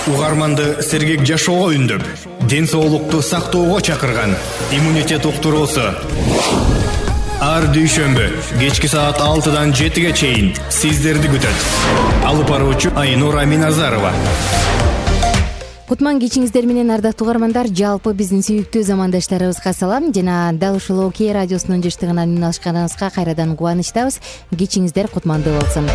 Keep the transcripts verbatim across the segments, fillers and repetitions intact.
Угарманды сергек жашоого үндөп, ден соолукту сактоого чакырган иммунитет уктуруусу. Ар дүйшөмбү кечки саат алтыдан жетиге чейин сиздерди күтөт. Алып баруучу Айнура Миназарова. Кутман кечиңиздер менен, ардактуу угармандар. Жалпы биздин сүйүктүү замандаштарыбызга салам жана дал ушул Кей радиосунун жыштыгынан үн алышканыңызга кайрадан кубанычтабыз. Кечиңиздер кутмандуу болсун.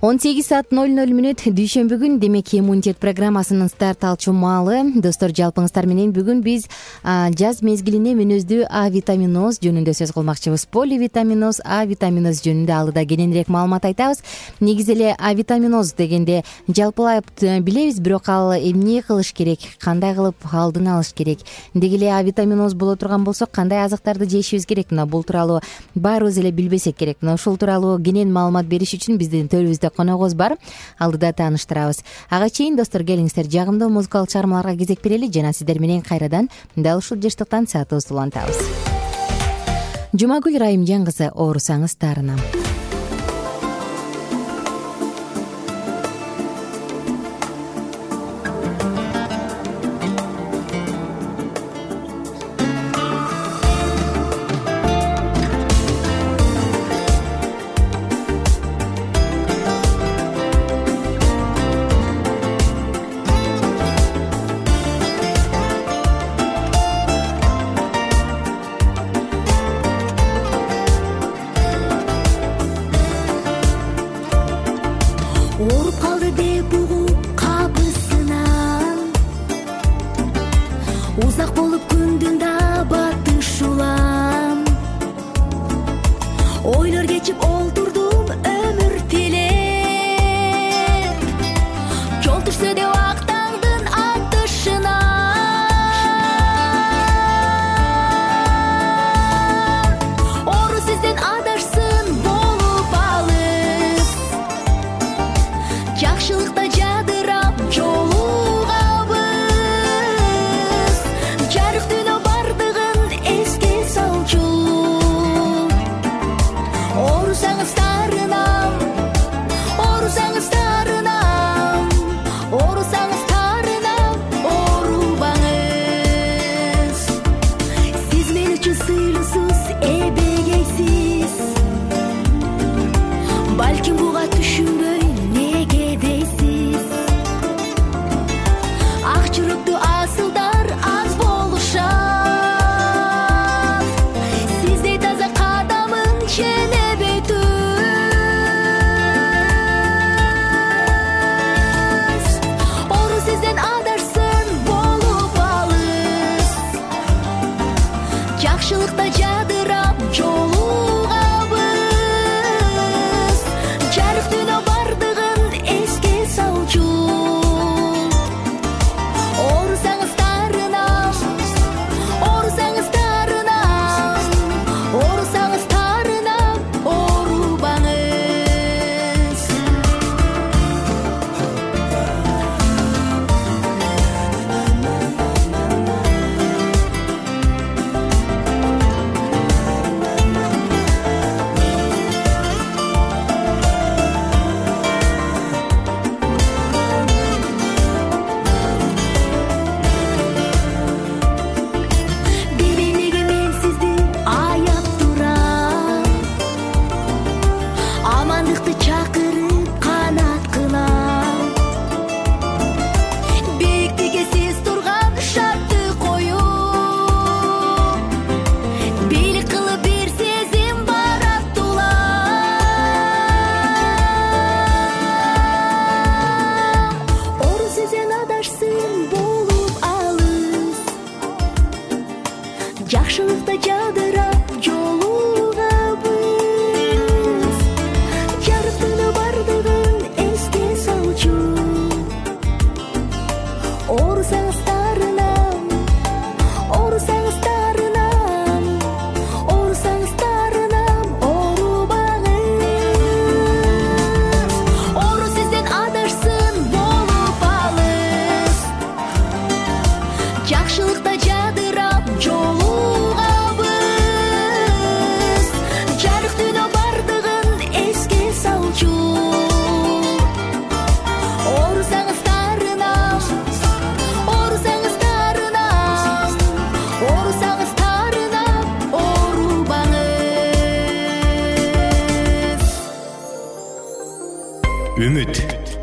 он сегиз саат ноль ноль мүнөт дүйшөмбү күн, демек иммунитет программасынын старт алчу маалы. Достор, жалпыңыздар менен бүгүн биз жаз мезгилине мүнөздүү А витаминоз жөнүндө сөз кылмакчыбыз. Поливитаминоз, А витаминоз жөнүндө алыда кененирээк маалымат айтабыз. Негизи эле А витаминоз дегенде жалпылап билебиз, бирок ал эмне кылыш керек, кандай кылып алдын алыш керек, деги эле А витаминоз боло турган болсо кандай азыктарды жешибиз керек, мына бул тууралуу баарыбыз эле билбесек керек. Мына ушул тууралуу кенен маалымат бериш үчүн биздин төрүбүздө коногубуз бар. Алдыда тааныштырабыз. Ага чейин достор, келиңиздер жагымдуу музыкалык чыгармаларга кезек берели жана сиздер менен кайрадан дал ушул жыштыктан саатыбызды улантабыз. Жумагүл Райымжан кызы, оорусаңыз таарынам. Балким буга түшүнбөй неге дейсиз?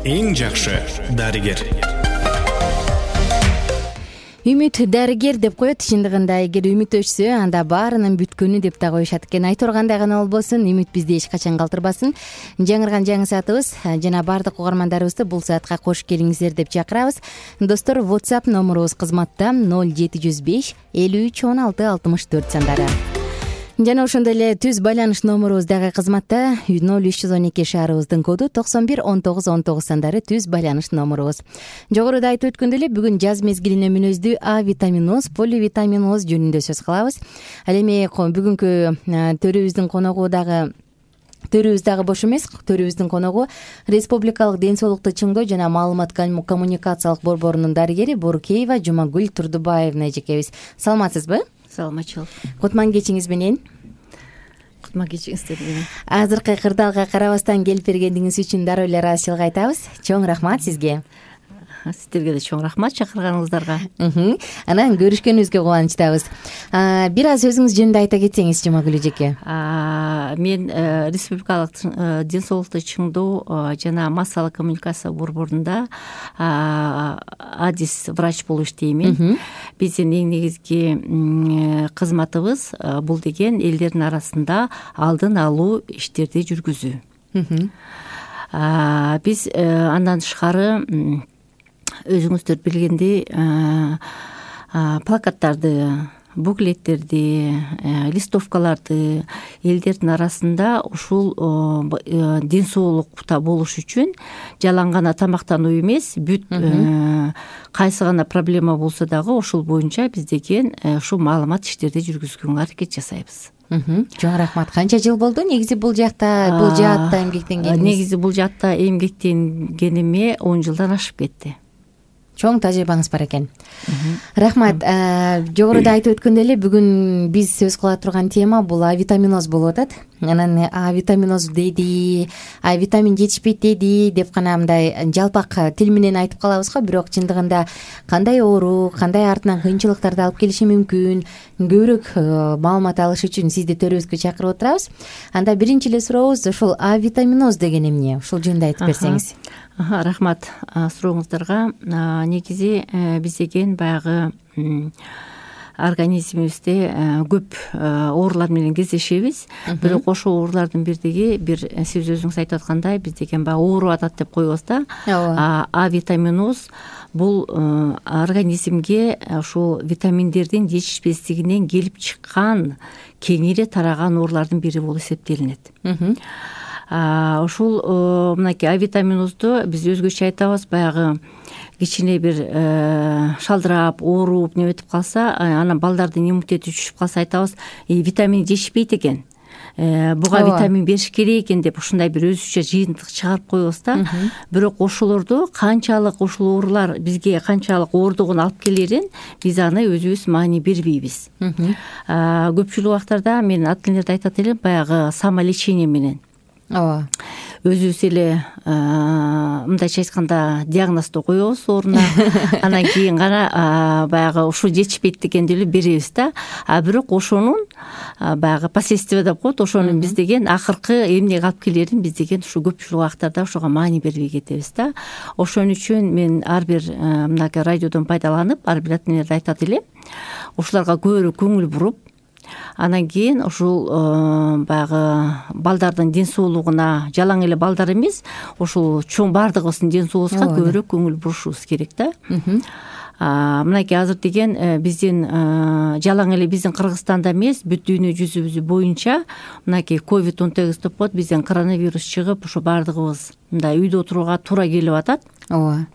эң жакшы дарыгер. Үмүт дарыгер деп коет. Чындыгында эгер үмүт өчсө, анда баарынын бүткөнү деп да коюшат экен. Айтургандай гана болбосун, үмүт бизди эч качан калтырбасын. Жаңырган жаңы саатыбыз жана баардык угармандарыбызды бул саатка кош келиңиздер деп чакырабыз. Достор, WhatsApp номурубуз кызматта ноль жети жүз беш элүү үч он алты алтымыш төрт сандары. Жана ошондой эле түз байланыш номурубуз дагы кызматта ноль үч жүз он эки шаарыбыздын коду токсон бир он тогуз он тогуз сандары түз байланыш номурубуз. Жогоруда айтып өткөндөй эле бүгүн жаз мезгилине мүнөздүү А витаминоз, поливитаминоз жөнүндө сөз кылабыз. Ал эми бүгүнкү төрүбүздүн коногу дагы Төрүбүз дагы бош эмес. Төрүбүздүн коногу Республикалык ден соолукту чыңдоо жана маалымат коммуникациялык борборунун дарыгери Борукеева Жумагүл Турдубаевна эжекебиз. Саламатсызбы? Саламатчылык. Кутман кечиңиз менен. Кутман кечиңиздер менен. Азыркы кырдаалга карабастан келип бергениңиз үчүн дароо эле ыраазычылык айтабыз. Чоң рахмат сизге. Сиздерге да чоң рахмат чакырганыңыздарга. Анан көрүшкөнүбүзгө кубанычтабыз. Бир аз өзүңүз жөнүндө айта кетсеңиз, Жумагүл эжеке. Мен Республикалык ден соолукту чыңдоо жана массалык коммуникация борборунда адис врач болуп иштеймин. Биздин эң негизги кызматыбыз бул деген элдердин арасында алдын алуу иштерди жүргүзүү. Биз андан тышкары өзүңүздөр билгендей плакаттарды, буклеттерди, листовкаларды элдердин арасында ушул ден соолукта болуш үчүн жалаң гана тамактануу эмес, бүт кайсы гана проблема болсо дагы ошол боюнча биз деген ушул маалымат иштерди жүргүзгөнгө аракет жасайбыз. Чоң рахмат. Канча жыл болду негизи бул жакта, бул жаатта эмгектенгениңиз? Негизи бул жаатта эмгектенгениме он жылдан ашып кетти. Чоң тажрыйбаңыз бар экен. Рахмат. Жогоруда айтып өткөндөй эле бүгүн биз сөз кыла турган тема бул А витаминоз болуп атат. Анан А витаминоз деди, А витамин жетишпейт деди деп гана мындай жалпак тил менен айтып калабыз го, бирок чындыгында кандай оору, кандай артынан кыйынчылыктарды алып келиши мүмкүн, көбүрөөк маалымат алыш үчүн сизди төрүбүзгө чакырып отурабыз. Анда биринчи эле сурообуз ушул А витаминоз деген эмне? Ушул жөнүндө айтып берсеңиз. Рахмат сурооңуздарга. Негизи биз деген баягы организмибизде көп оорулар менен кездешебиз. Бирок ошол оорулардын бирдиги бир сиз өзүңүз айтып аткандай биз деген баягы ооруп атат деп коебуз да. А витаминоз бул организмге ушул витаминдердин жетишпестигинен келип чыккан кеңири тараган оорулардын бири болуп эсептелинет. Ушул мынакей А витаминозду биз өзгөчө айтабыз, баягы кичине бир шалдырап, ооруп неметип калса, анан балдардын иммунитети түшүп калса айтабыз, витамин жетишпейт экен. Буга витамин бериш керек экен деп ушундай бир өзүчө жыйынтык чыгарып коебуз да. Бирок ошолорду канчалык ушул оорулар бизге канчалык оордугун алып келерин биз аны өзүбүз маани бербейбиз. Көпчүлүк убактарда мен ата энелерде айтат элем, баягы самолечение менен ооба өзүбүз эле мындайча айтканда диагнозду коебуз ордуна, анан кийин гана баягы ушул жетишпейт дегенди эле беребиз да. А бирок ошонун баягы последствия деп коет, ошонун биз деген акыркы эмнеге алып келерин биз деген ушу көпчүлүк убактарда ошого маани бербей кетебиз да. Ошон үчүн мен ар бир мынакей радиодон пайдаланып, ар бир ата энелерге айтат элем, ушуларга көбүрөөк көңүл буруп, анан кийин ушул баягы балдардын ден соолугуна, жалаң эле балдар эмес, ушул чоң баардыгыбыздын ден соолугубузга көбүрөөк көңүл бурушубуз керек да. Мынакей азыр деген биздин жалаң эле биздин Кыргызстанда эмес, бүт дүйнө жүзү боюнча мынакей ковид он тогуз деп коет, бизден коронавирус чыгып, ушу баардыгыбыз мындай үйдө отурууга туура келип атат. Ооба.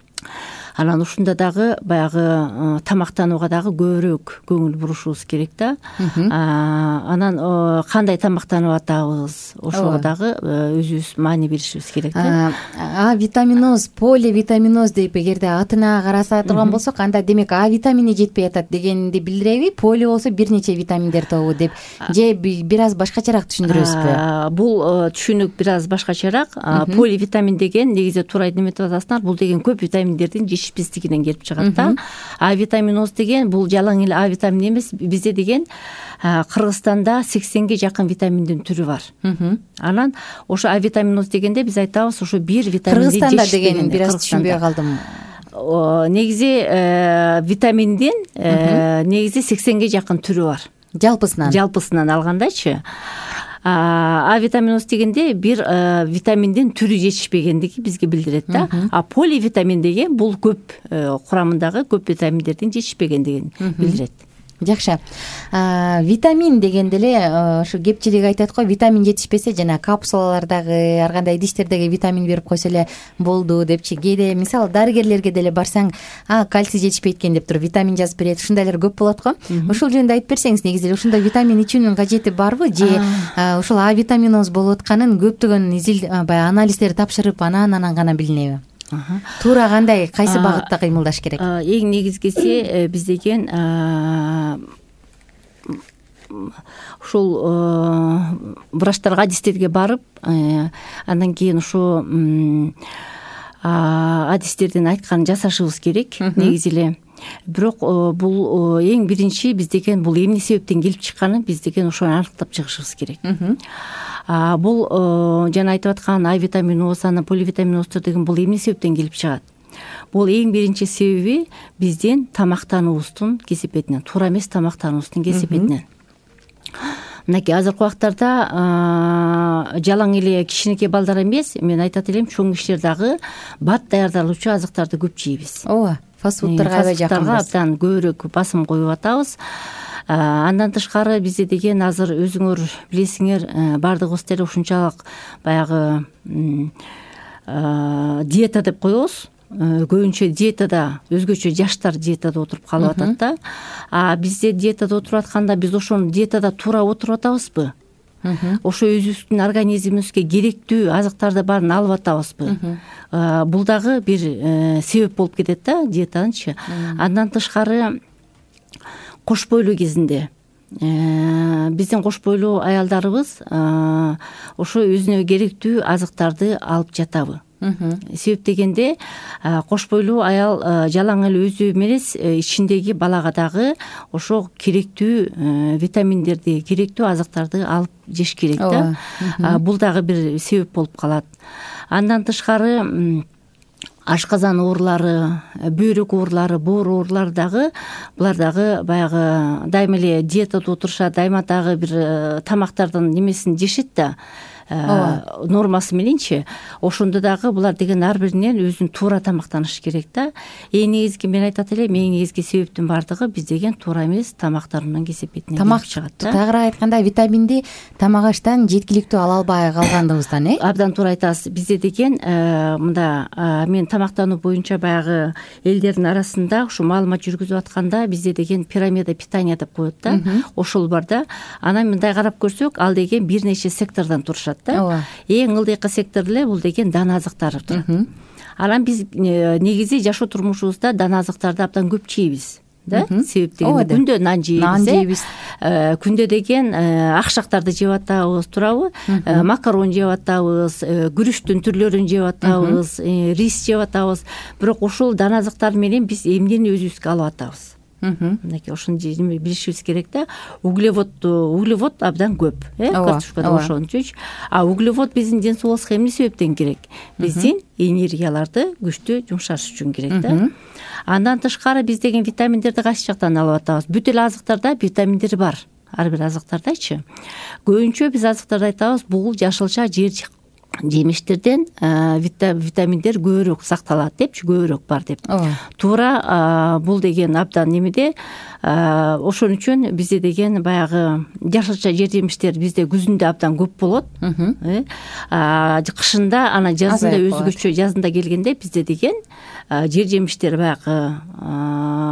Анан ушунда дагы баягы тамактанууга дагы көбүрөөк көңүл бурушубуз керек да. Анан кандай тамактанып атабыз, ошого дагы өзүбүз маани беришибиз керек да. А витаминоз, поливитаминоз деп эгерде атына караса турган болсок, анда демек А витамини жетпей атат дегенди билдиреби? Поли болсо бир нече витаминдер тобу деп, же бир аз башкачараак түшүндүрөсүзбү? Бул түшүнүк бир аз башкачараак. Поливитамин деген негизи туура эметип атасыңар, бул деген көп витаминдердин жетишпестиги жетишпестигинен келип чыгат да. А витаминоз деген бул жалаң эле А витамини эмес, бизде деген Кыргызстанда сексенге жакын витаминдин түрү бар. Анан ошо А витаминоз дегенде биз айтабыз ошо бир витаминди Кыргызстанда дегенин бир аз түшүнбөй калдым. Негизи витаминдин негизи сексенге жакын түрү бар. Жалпысынан. Жалпысынан алгандачы. А витаминоз дегенде бир витаминдин түрү жетишпегендиги бизге билдирет да. А поливитамин деген бул көп курамындагы көп витаминдердин жетишпегендигин билдирет. Жакшы. Витамин дегенде эле ошо кепчилик айтат го, витамин жетишпесе жана капсулалардагы ар кандай идиштердеги витамин берип койсо эле болду депчи. Кээде мисалы дарыгерлерге деле барсаң, а кальций жетишпейт экен деп туруп витамин жазып берет. Ушундайлар көп болот го. Ошол жөнүндө айтып берсеңиз, негизи эле ушундай витамин ичүүнүн кажети барбы же ушул А витаминоз болуп атканын көптөгөн изил баягы анализдер тапшырып анан анан гана билинеби? Туура кандай, кайсы багытта кыймылдаш керек? Эң негизгиси биз деген ушул врачтарга, адистерге барып, андан кийин ушу адистердин айтканын жасашыбыз керек негизи эле. Бирок бул эң биринчи биз деген бул эмне себептен келип чыкканын биз деген ошону аныктап чыгышыбыз керек. Бул жана айтып аткан А витаминоз, анан поливитаминоздор деген бул эмне себептен келип чыгат? Бул эң биринчи себеби биздин тамактануубуздун кесепетинен, туура эмес тамактануубуздун кесепетинен. Мынакей азыркы убактарда жалаң эле кичинекей балдар эмес, мен айтат элем, чоң кишилер дагы бат даярдалуучу азыктарды көп жейбиз. Ооба, фастфудтарга аябай жакынбыз. Абдан көбүрөөк басым коюп атабыз. Андан тышкары бизде деген азыр өзүңөр билесиңер, баардыгыбыз деле ушунчалык баягы диета деп коебуз. Көбүнчө диетада, өзгөчө жаштар диетада отуруп калып атат да. А бизде диетада отуруп атканда биз ошону диетада туура отуруп атабызбы? Ошо өзүбүздүн организмибизге керектүү азыктарды баарын алып атабызбы? Бул дагы бир себеп болуп кетет да, диетанычы. Андан тышкары кош бойлуу кезинде биздин кош бойлуу аялдарыбыз ошо өзүнө керектүү азыктарды алып жатабы? Себеп дегенде кош бойлуу аял жалаң эле өзү эмес, ичиндеги балага дагы ошо керектүү витаминдерди, керектүү азыктарды алып жеш керек да. Бул дагы бир себеп болуп калат. Андан тышкары ашказан оорулары, бөйрөк оорулары, боор оорулары дагы, булар дагы баягы дайыма эле диетада отурушат, дайыма дагы бир тамактардын немесин жешет да. Нормасы мененчи, ошондо дагы булар деген ар биринен өзүн туура тамактаныш керек да. Эң негизги мен айтат элем, эң негизги себептин бардыгы биз деген туура эмес тамактарынын кесепетинен келип чыгат да. Тагыраак айтканда витаминди тамак аштан жеткиликтүү ала албай калгандыгыбыздан, э? Абдан туура айтасыз. Бизде деген мында мен тамактануу боюнча баягы элдердин арасында ушу маалымат жүргүзүп атканда бизде деген пирамида питания деп коет да. Ошол бар да. Анан мындай карап көрсөк, ал деген бир нече сектордон турушат. Эң ылдыйкы сектор эле бул деген дана азыктар турат. Анан биз негизи жашоо турмушубузда дана азыктарды абдан көп жейбиз да. Себеп дегенде күндө нан жейбиз. Күндө деген акшактарды жеп атабыз, туурабы? Макарон жеп атабыз, күрүчтүн түрлөрүн жеп атабыз, рис жеп атабыз. Бирок ошол дана азыктар менен биз эмнени өзүбүзгө алып атабыз? Мынакей ошону билишибиз керек да. Углевод, углевод абдан көп, э, картошкада ошончучу. А углевод биздин ден соолубузга эмне себептен керек? Биздин энергияларды күчтүү жумшаш үчүн керек да. Андан тышкары биз деген витаминдерди кайсы жактан алып атабыз? Бүт эле азыктарда витаминдер бар. Ар бир азыктардачы. Көбүнчө биз азыктарды айтабыз, бул жашылча, жер жемиштерден витаминдер көбүрөөк сакталат депчи, көбүрөөк бар деп. Туура бул деген абдан немеде, ошон үчүн бизде деген баягы жашылча жер жемиштер бизде күзүндө абдан көп болот. Кышында, анан жазында өзгөчө, жазында келгенде бизде деген жер жемиштер баягы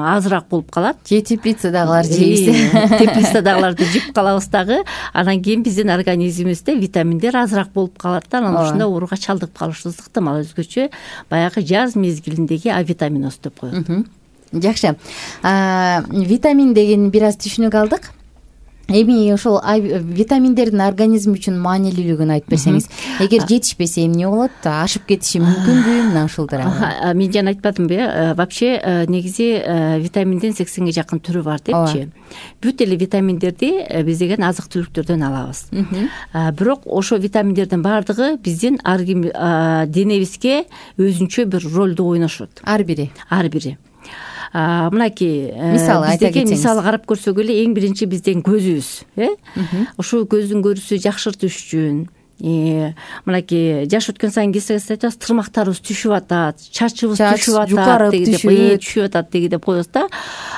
азыраак болуп калат. Же теплицадагылар жейбиз. Теплицадагыларды жеп калабыз дагы. Анан кийин биздин организмибизде витаминдер азыраак болуп калат да. Анан ушунда ооруга чалдыгып калышыбыз ыктымал. Өзгөчө баягы жаз мезгилиндеги А витаминоз деп коет. Жакшы. Витамин деген бир аз түшүнүк алдык. эми ошол витаминдердин организм үчүн маанилүүлүгүн айтып берсеңиз, эгер жетишпесе эмне болот, ашып кетиши мүмкүнбү мына ушулдар? Мен жана айтпадымбы, вообще негизи витаминдин сексенге жакын түрү бар депчи. Бүт эле витаминдерди биз деген азык түлүктөрдөн алабыз. Бирок ошо витаминдердин баардыгы биздин денебизге өзүнчө бир ролду ойношот. Ар бири. Ар бири. Мынакей мисалы айта кетсеңиз. Мисалы карап көрсөк эле эң биринчи биздин көзүбүз, э? Ошо көздүн көрүүсү жакшыртыш үчүн, мынакей жаш өткөн сайын кесип атабыз, тырмактарыбыз түшүп атат, чачыбыз түшүп атат, түшүп атат деги деп коебуз да.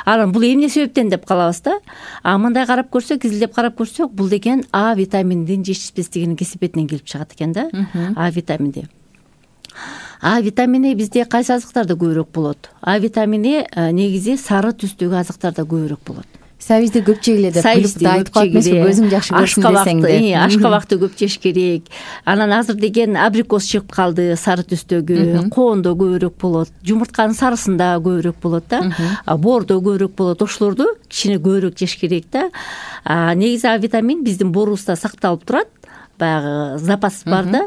Анан бул эмне себептен деп калабыз да. А мындай карап көрсөк, изилдеп карап көрсөк, бул деген А витаминдин жетишпестигинин кесепетинен келип чыгат экен да. А витамини. А витамини бизде кайсы азыктарда көбүрөөк болот? А витамини негизи сары түстөгү азыктарда көбүрөөк болот. Сабизди көп жегиле деп айтып калат эмеспи, көзүң жакшы көрсүн десең де. Ашкабакты көп жеш керек. Анан азыр деген абрикос чыгып калды, сары түстөгү, коондо көбүрөөк болот, жумуртканын сарысында көбүрөөк болот да, боордо көбүрөөк болот. Ошолорду кичине көбүрөөк жеш керек да. Негизи А витамин биздин боорубузда сакталып турат. Баягы запас бар да,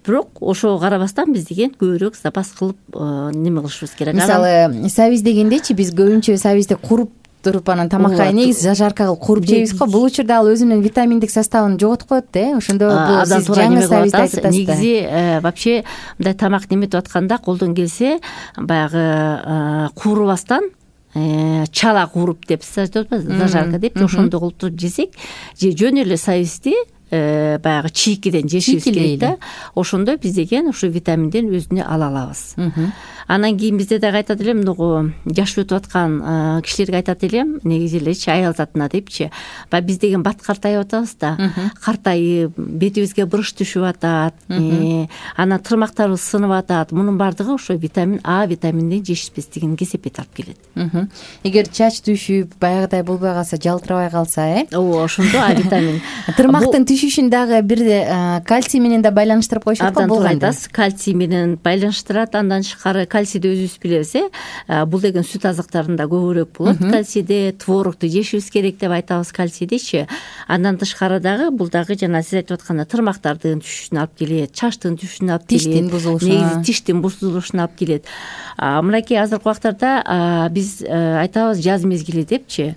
бирок ошого карабастан биз деген көбүрөөк запас кылып неме кылышыбыз керек. Мисалы, сабиз дегендечи биз көбүнчө сабизди куруп туруп анан тамакка негизи жажарка кылып куруп жейбиз го. Бул учурда ал өзүнүн витаминдик составын жоготуп коет да. Ошондо бул сиз жаңы сабизди айтып атасыз. Негизи вообще мындай тамак неметип атканда колдон келсе баягы куурубастан, чала кууруп деп сиз айтып атпайсызбы, зажарка деп, ошондой кылып туруп жесек, же жөн эле сабизди баягы чийкиден жешибиз керек да. Ошондо биз деген ушу витаминден өзүнө ала алабыз. Анан кийин бизде дагы айтат элем, муну жаш өтүп аткан кишилерге айтат элем, негизи элечи аял затына депчи. Баягы биз деген бат картайып атабыз да. Картайып, бетибизге бырыш түшүп атат, анан тырмактарыбыз сынып атат. Мунун баардыгы ошо витамин А витаминдин жетишпестигинин кесепети алып келет. Эгер чач түшүп, баягыдай болбой калса, жалтырабай калса, э? Ооба, ошондо А витамин. Тырмактын түшүшүн дагы бир кальций менен да байланыштырып коюшат го. Абдан айтасыз, кальций менен байланыштырат. Андан тышкары кальцийди өзүбүз билебиз, э? Бул деген сүт азыктарында көбүрөөк болот. Кальцийди, творогду жешибиз керек деп айтабыз кальцийдичи. Андан тышкары дагы бул дагы жана сиз айтып атканда тырмактардын түшүшүнө алып келет, чачтын түшүшүнө алып келет, тиштин бузулушуна, негизи тиштин бузулушуна алып келет. Мынакей азыркы убактарда биз айтабыз жаз мезгили депчи.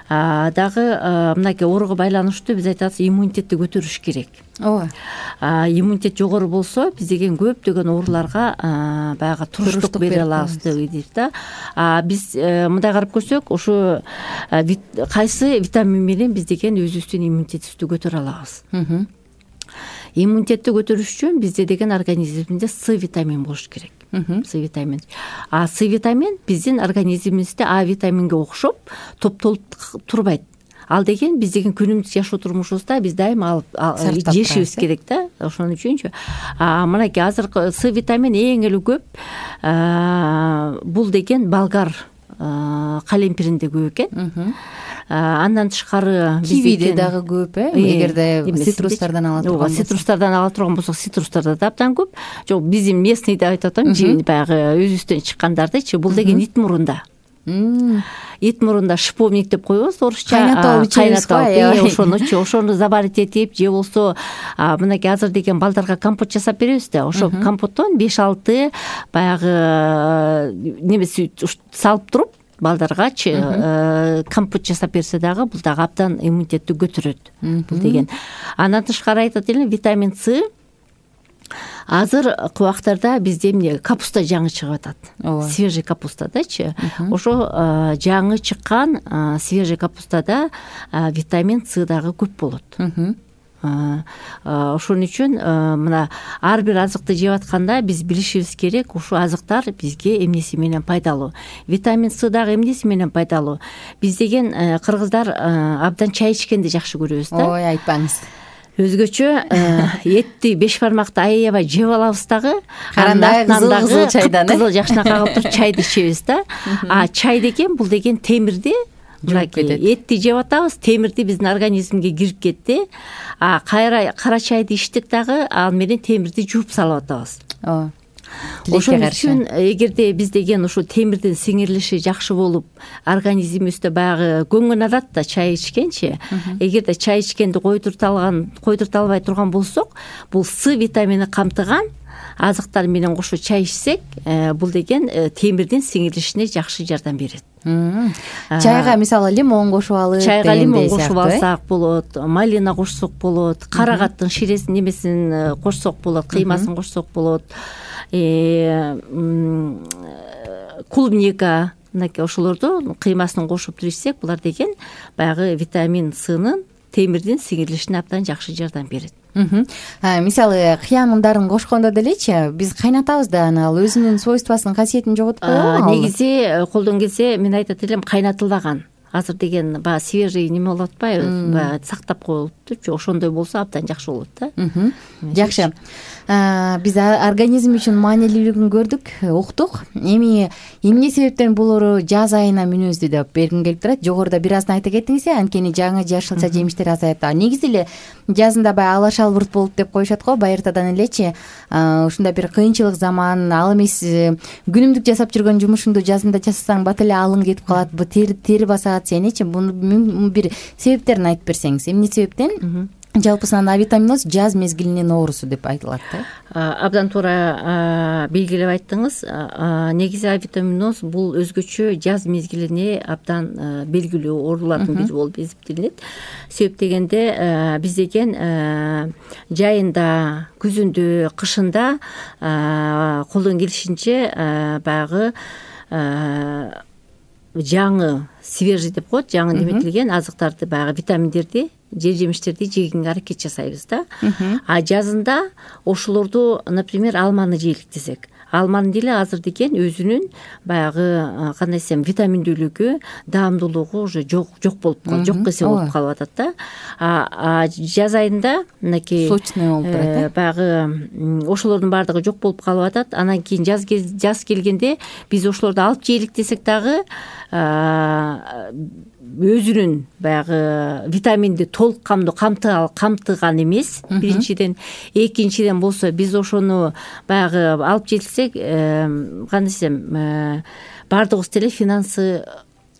Дагы мынакей ооруга байланыштуу биз айтабыз иммунитетти көтөрүш керек. Ооба. Иммунитет жогору болсо биз деген көптөгөн ооруларга баягы туруштук бере алабыз дейбиз да. Биз мындай карап көрсөк, ошо кайсы витамин менен биз деген өзүбүздүн иммунитетибизди көтөрө алабыз. Иммунитетти көтөрүш үчүн бизде деген организмде С витамин болуш керек. С витамин. А С витамин биздин организмибизде А витаминге окшоп топтолуп турбайт. Ал деген биз деген күнүмдүк жашоо турмушубузда биз дайыма алып жешибиз керек да. Ошон үчүнчү. Мынакей азыркы С витамин эң эле көп бул деген болгар калемпиринде көп экен. Андан тышкары кивиде дагы көп, э? Эгерде цитрустардан ала турган болсок. Цитрустардан ала турган болсок, цитрустарда да абдан көп. Жок, биздин местный деп айтып атам, баягы өзүбүздөн чыккандардычы, бул деген ит мурунда. Ит мурунда шиповник деп коебуз, орусча. Кайнатып, ошонучу, ошону заварить этип, же болсо мынакей азыр деген балдарга компот жасап беребиз да. Ошо компоттон беш алты баягы немеси салып туруп балдаргачы компот жасап берсе дагы бул дагы абдан иммунитетти көтөрөт. Бул деген. Андан тышкары айтат элем, витамин С азыркы убактарда бизде эмне капуста жаңы чыгып атат. Свежий капустадачы. Ошо жаңы чыккан свежий капустада витамин С дагы көп болот. Ошон үчүн мына ар бир азыкты жеп атканда биз билишибиз керек, ушул азыктар бизге эмнеси менен пайдалуу. Витамин С дагы эмнеси менен пайдалуу? Биз деген кыргыздар абдан чай ичкенди жакшы көрөбүз да. Ой, айтпаңыз. Өзгөчө этти беш бармакты аябай жеп алабыз дагы. Карандай кызыл чайдан, кызыл жакшына кагып туруп чайды ичебиз да. А чай деген бул деген темирди этти жеп атабыз, темирди биздин организмге кирип кетти. А кайра кара чайды ичтик дагы, ал менен темирди жууп салып атабыз. тилекке ошон каршы. үчүн эгерде биз деген ушу темирдин сиңирилиши жакшы болуп организмибизде баягы көңгөн адат да чай ичкенчи, эгерде чай ичкенди койдурта алган койдурта албай турган болсок, бул С витамини камтыган азыктар менен кошо чай ичсек, бул деген темирдин сиңирилишине жакшы жардам берет. Чайга мисалы лимон кошуп алып, чайга лимон кошуп алсак болот, малина кошсок болот, карагаттын ширесин немесин кошсок болот, кыймасын кошсок болот, клубника, мынакей ошолорду кыймасын кошуп туруп ичсек, булар деген баягы витамин Сынын темирдин сиңирилишине абдан жакшы жардам берет. Мисалы кыян ундарын кошкондо делечи, биз кайнатабыз да, аны ал өзүнүн свойствосын, касиетин жоготуп коебу? Негизи колдон келсе мен айтат элем кайнатылган. Азыр деген баягы свежий неме болуп атпайбы, баягы сактап коюлуптурчу, ошондой болсо абдан жакшы болот да. Жакшы. Биз организм үчүн маанилүүлүгүн көрдүк, уктук. Эми эмне себептен булору жаз айына мүнөздүү деп бергим келип турат. Жогоруда бир аздан айта кеттиңиз, анткени жаңы жашылча жемиштер азаят. Негизи эле жазында баягы алаш албырт болуп деп коюшат го, байыртадан элечи. Ушундай бир кыйынчылык заман, ал эмес күнүмдүк жасап жүргөн жумушуңду жазында жасасаң бат эле алың кетип калат, бу тери басат сеничи. Муну бир себептерин айтып берсеңиз, эмне себептен жалпысынан авитаминоз жаз мезгилинин оорусу деп айтылат да? Абдан туура белгилеп айттыңыз. Негизи авитаминоз бул өзгөчө жаз мезгилине абдан белгилүү оорулардын бири болуп эсептелинет. Себеп дегенде биз деген жайында, күзүндө, кышында колдон келишинче баягы жаңы, свежий деп коет, жаңы неметилген азыктарды, баягы витаминдерди, жер жемиштерди жегенге аракет жасайбыз да. А жазында ошолорду, например, алманы жейлик десек, алманын деле азыр деген өзүнүн баягы кандай десем витаминдүүлүгү, даамдуулугу уже жок жок болуп калат, жок эсе болуп калып атат да. А жаз айында мынакей сочный болуп турат, баягы ошолордун баардыгы жок болуп калып атат. Анан кийин жаз жаз келгенде биз ошолорду алып жейлик десек дагы өзүнүн баягы витаминди толук камдуу камтыган эмес. Биринчиден, экинчиден болсо биз ошону баягы алып желсек, кандай десем, баардыгыбыз деле финансы,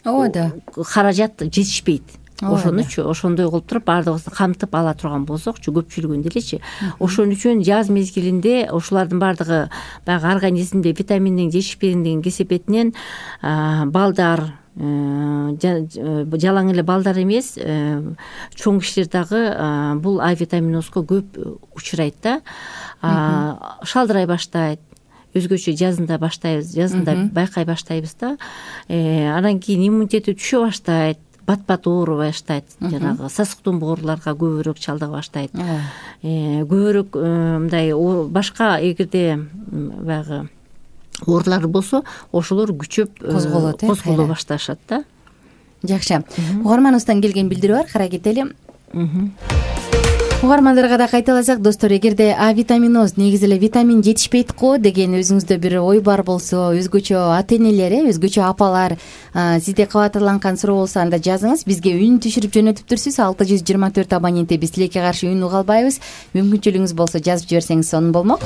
ооба, каражат жетишпейт. Ошонучу ошондой кылып туруп баардыгыбызды камтып ала турган болсокчу, көпчүлүгүн делечи. Ошон үчүн жаз мезгилинде ошолардын баардыгы баягы организмде витаминдин жетишпегендигинин кесепетинен балдар, жалаң эле балдар эмес, чоң кишилер дагы бул авитаминозго көп учурайт да. Шалдырай баштайт. Өзгөчө жазында баштайбыз, жазында байкай баштайбыз да. Анан кийин иммунитети түшө баштайт, бат-бат оорубай баштайт, жанагы сасыктуу ооруларга көбүрөөк чалдыга баштайт. Көбүрөөк мындай башка эгерде баягы оорулар болсо, ошолор күчөп козголот, козголо башташат да. Жакшы. Угарманыбыздан келген билдирүү бар, карай кетели. Угармандарга да кайталасак, достор, эгерде авитаминоз, негизи эле витамин жетишпейт го деген өзүңүздө бир ой бар болсо, өзгөчө ата-энелер, өзгөчө апалар сизде кабатырланган суроо болсо, анда жазыңыз, бизге үн түшүрүп жөнөтүп турсуз. алты жүз жыйырма төрт абоненти биз тилекке каршы үн уга албайбыз. Мүмкүнчүлүгүңүз болсо жазып жиберсеңиз сонун болмок.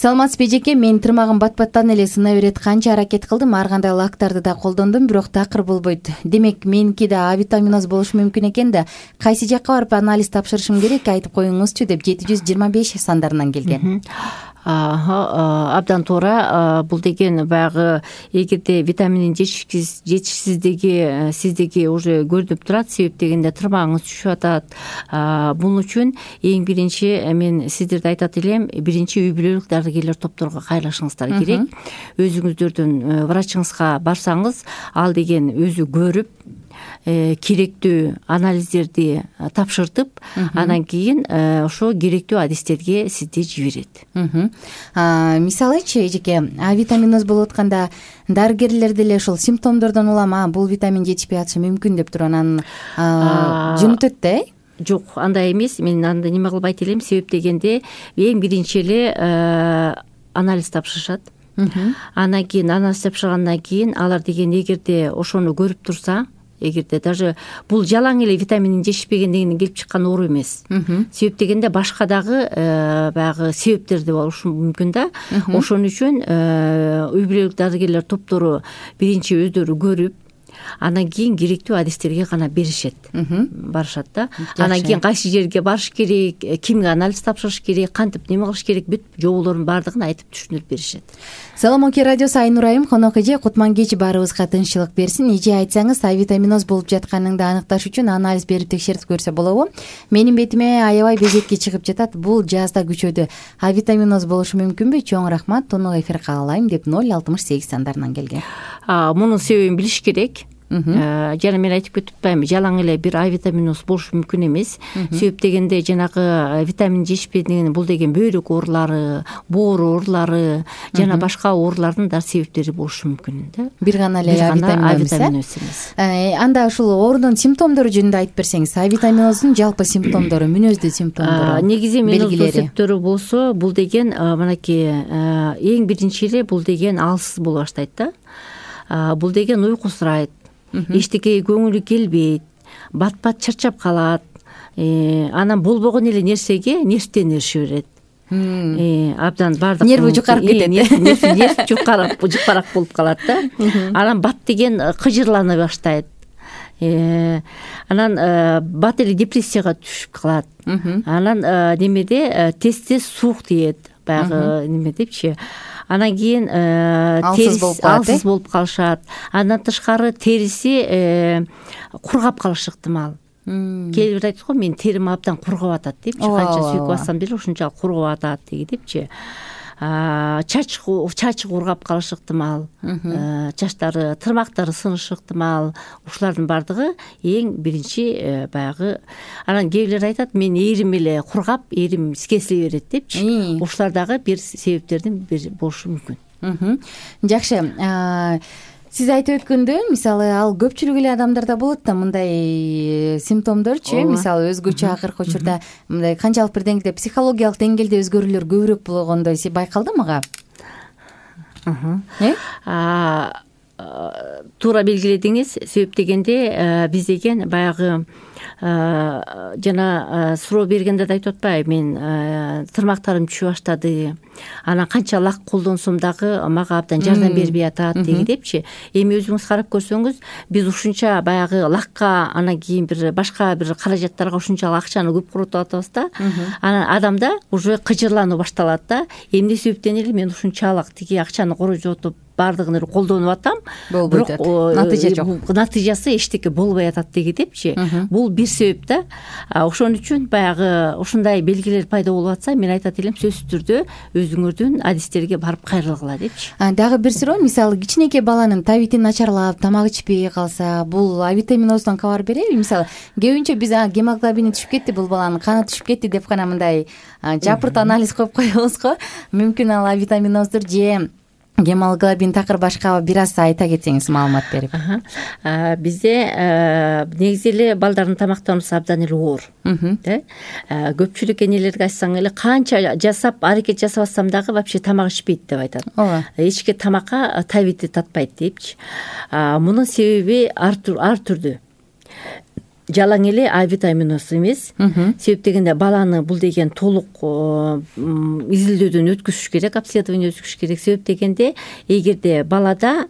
Саламатсызбы эжеке, мен тырмагым бат-баттан эле сына берет, канча аракет кылдым, ар кандай лактарды да колдондум, бирок такыр болбойт. Демек, меники да авитаминоз болушу мүмкүн экен да, кайсы жакка барып анализ тапшырышым керек, айтып коюңузчу деп жети жүз жыйырма беш сандарынан келген. Абдан туура. Бул деген баягы эгерде витаминдин жетишсиздиги сиздеги уже көрүнүп турат, себеп дегенде тырмагыңыз түшүп атат. Бул үчүн эң биринчи мен сиздерге айтат элем, биринчи үй бүлөлүк дарыгерлер топторуна кайрылышыңыздар керек. Өзүңүздөрдүн врачыңызга барсаңыз, ал деген өзү көрүп, керектүү анализдерди тапшыртып, анан кийин ошо керектүү адистерге сизди жиберет. Мисалычы, эжеке, авитаминоз болуп атканда дарыгерлер деле ошол симптомдордон улам, бул витамин жетишпей атышы мүмкүн деп туруп анан жөнөтөт да, э? Жок, андай эмес. Мен анда неме кылып айта элем, себеп дегенде эң биринчи эле анализ тапшырышат. Анан кийин анализ тапшыргандан кийин алар деген эгерде ошону көрүп турса, эгерде даже бул жалаң эле витаминдин жетишпегендигинен келип чыккан оору эмес. Себеп дегенде башка дагы баягы себептер да болушу мүмкүн да. Ошон үчүн үй бүлөлүк дарыгерлер топтору биринчи өздөрү көрүп, анан кийин керектүү адистерге гана беришет, барышат да. Анан кийин кайсы жерге барыш керек, кимге анализ тапшырыш керек, кантип неме кылыш керек, бүт жоболордун баардыгын айтып түшүндүрүп беришет. Салам Оке радиосу, Айнур айым, конок эже, Кутман кеч баарыбызга тынччылык берсин. Эже, айтсаңыз, А витаминоз болуп жатканыңды аныкташ үчүн анализ берип текшертип көрсө болобу? Менин бетиме аябай безетке чыгып жатат, бул жазда күчөдү. А витаминоз болушу мүмкүнбү? Чоң рахмат, тонук эфир каалайм деп ноль алтымыш сегиз сандарынан келген. Мунун себебин билиш керек. Жана мен айтып кетип атпаймынбы, жалаң эле бир А витаминоз болушу мүмкүн эмес. Себеп дегенде жанагы витамин жетишпегендигинин бул деген бөйрөк оорулары, боор оорулары жана башка оорулардын да себептери болушу мүмкүн да. Бир гана эле А витаминоз эмес. Анда ушул оорунун симптомдору жөнүндө айтып берсеңиз, А витаминоздун жалпы симптомдору, мүнөздүү симптомдору. Негизи мүнөздүү себептери болсо, бул деген мынакей эң биринчи эле бул деген алсыз боло баштайт да. Бул деген уйкусурайт, эчтекеге көңүлү келбейт, бат-бат чарчап калат, анан болбогон эле нерсеге нервденирише берет. Абдан баардык нерви жукарып кетет. Нерв жукарак болуп калат да. Анан бат деген кыжырлана баштайт. Анан бат эле депрессияга түшүп калат. Анан немеде тез тез суук тиет, баягы неме депчи. Анан кийин алсыз болуп калышат. Андан тышкары териси кургап калышы ыктымал. Кээ бир айтат го, мен терим абдан кургап атат депчи, канча сүйүк бассам деле ушунчалык кургап атат депчи. Чач чачы кургап калышы ыктымал, чачтары, тырмактары сынышы ыктымал. Ушулардын баардыгы эң биринчи баягы. Анан кээ бирлер айтат, мен эрим эле кургап, эрим кесиле берет депчи. Ушулар дагы бир себептердин бири болушу мүмкүн. Жакшы. Сиз айтып өткөндөй, мисалы, ал көпчүлүк эле адамдарда болот да мындай симптомдорчу, мисалы, өзгөчө акыркы учурда мындай канчалык бир деңгээлде психологиялык деңгээлде өзгөрүүлөр көбүрөөк болгондой байкалды мага? Туура белгиледиңиз. Себеп дегенде биз деген баягы жана суроо бергенде да айтып атпайбы, мен тырмактарым түшүп баштады, анан канча лак колдонсом дагы мага абдан жардам бербей атат деги депчи. Эми өзүңүз карап көрсөңүз, биз ушунча баягы лакка, анан кийин бир башка бир каражаттарга ушунчалык акчаны көп коротуп атабыз да. Анан адамда уже кыжырлануу башталат да. Эмне себептен эле мен ушунчалык тиги акчаны корожотуп баардыгын эле колдонуп атам, бирок натыйжа жок. Натыйжасы эчтеке болбой атат деги депчи. Бул бир себеп да. Ошон үчүн баягы ушундай белгилер пайда болуп атса, мен айтат элем, сөзсүз түрдө өзүңөрдүн адистерге барып кайрылгыла депчи. Дагы бир суроо, мисалы, кичинекей баланын табити начарлап, тамак ичпей калса, бул А витаминоздон кабар береби? Мисалы, көбүнчө биз гемоглобини түшүп кетти, бул баланын каны түшүп кетти деп гана мындай жапырт анализ коюп коебуз го. Мүмкүн ал А витаминоздур же гемоглобин такыр башка бир аз айта кетсеңиз, маалымат берип. Бизде негизи эле балдардын тамактануусу абдан эле оор. Көпчүлүк энелерге айтсаң эле, канча жасап, аракет жасабасам дагы вообще тамак ичпейт деп айтат. Эчке тамакка табити татпайт депчи. Мунун себеби ар түрдүү. Жалаң эле А витаминоз эмес. Себеп дегенде баланы бул деген толук изилдөөдөн өткүзүш керек, обследование өткүзүш керек. Себеп дегенде, эгерде балада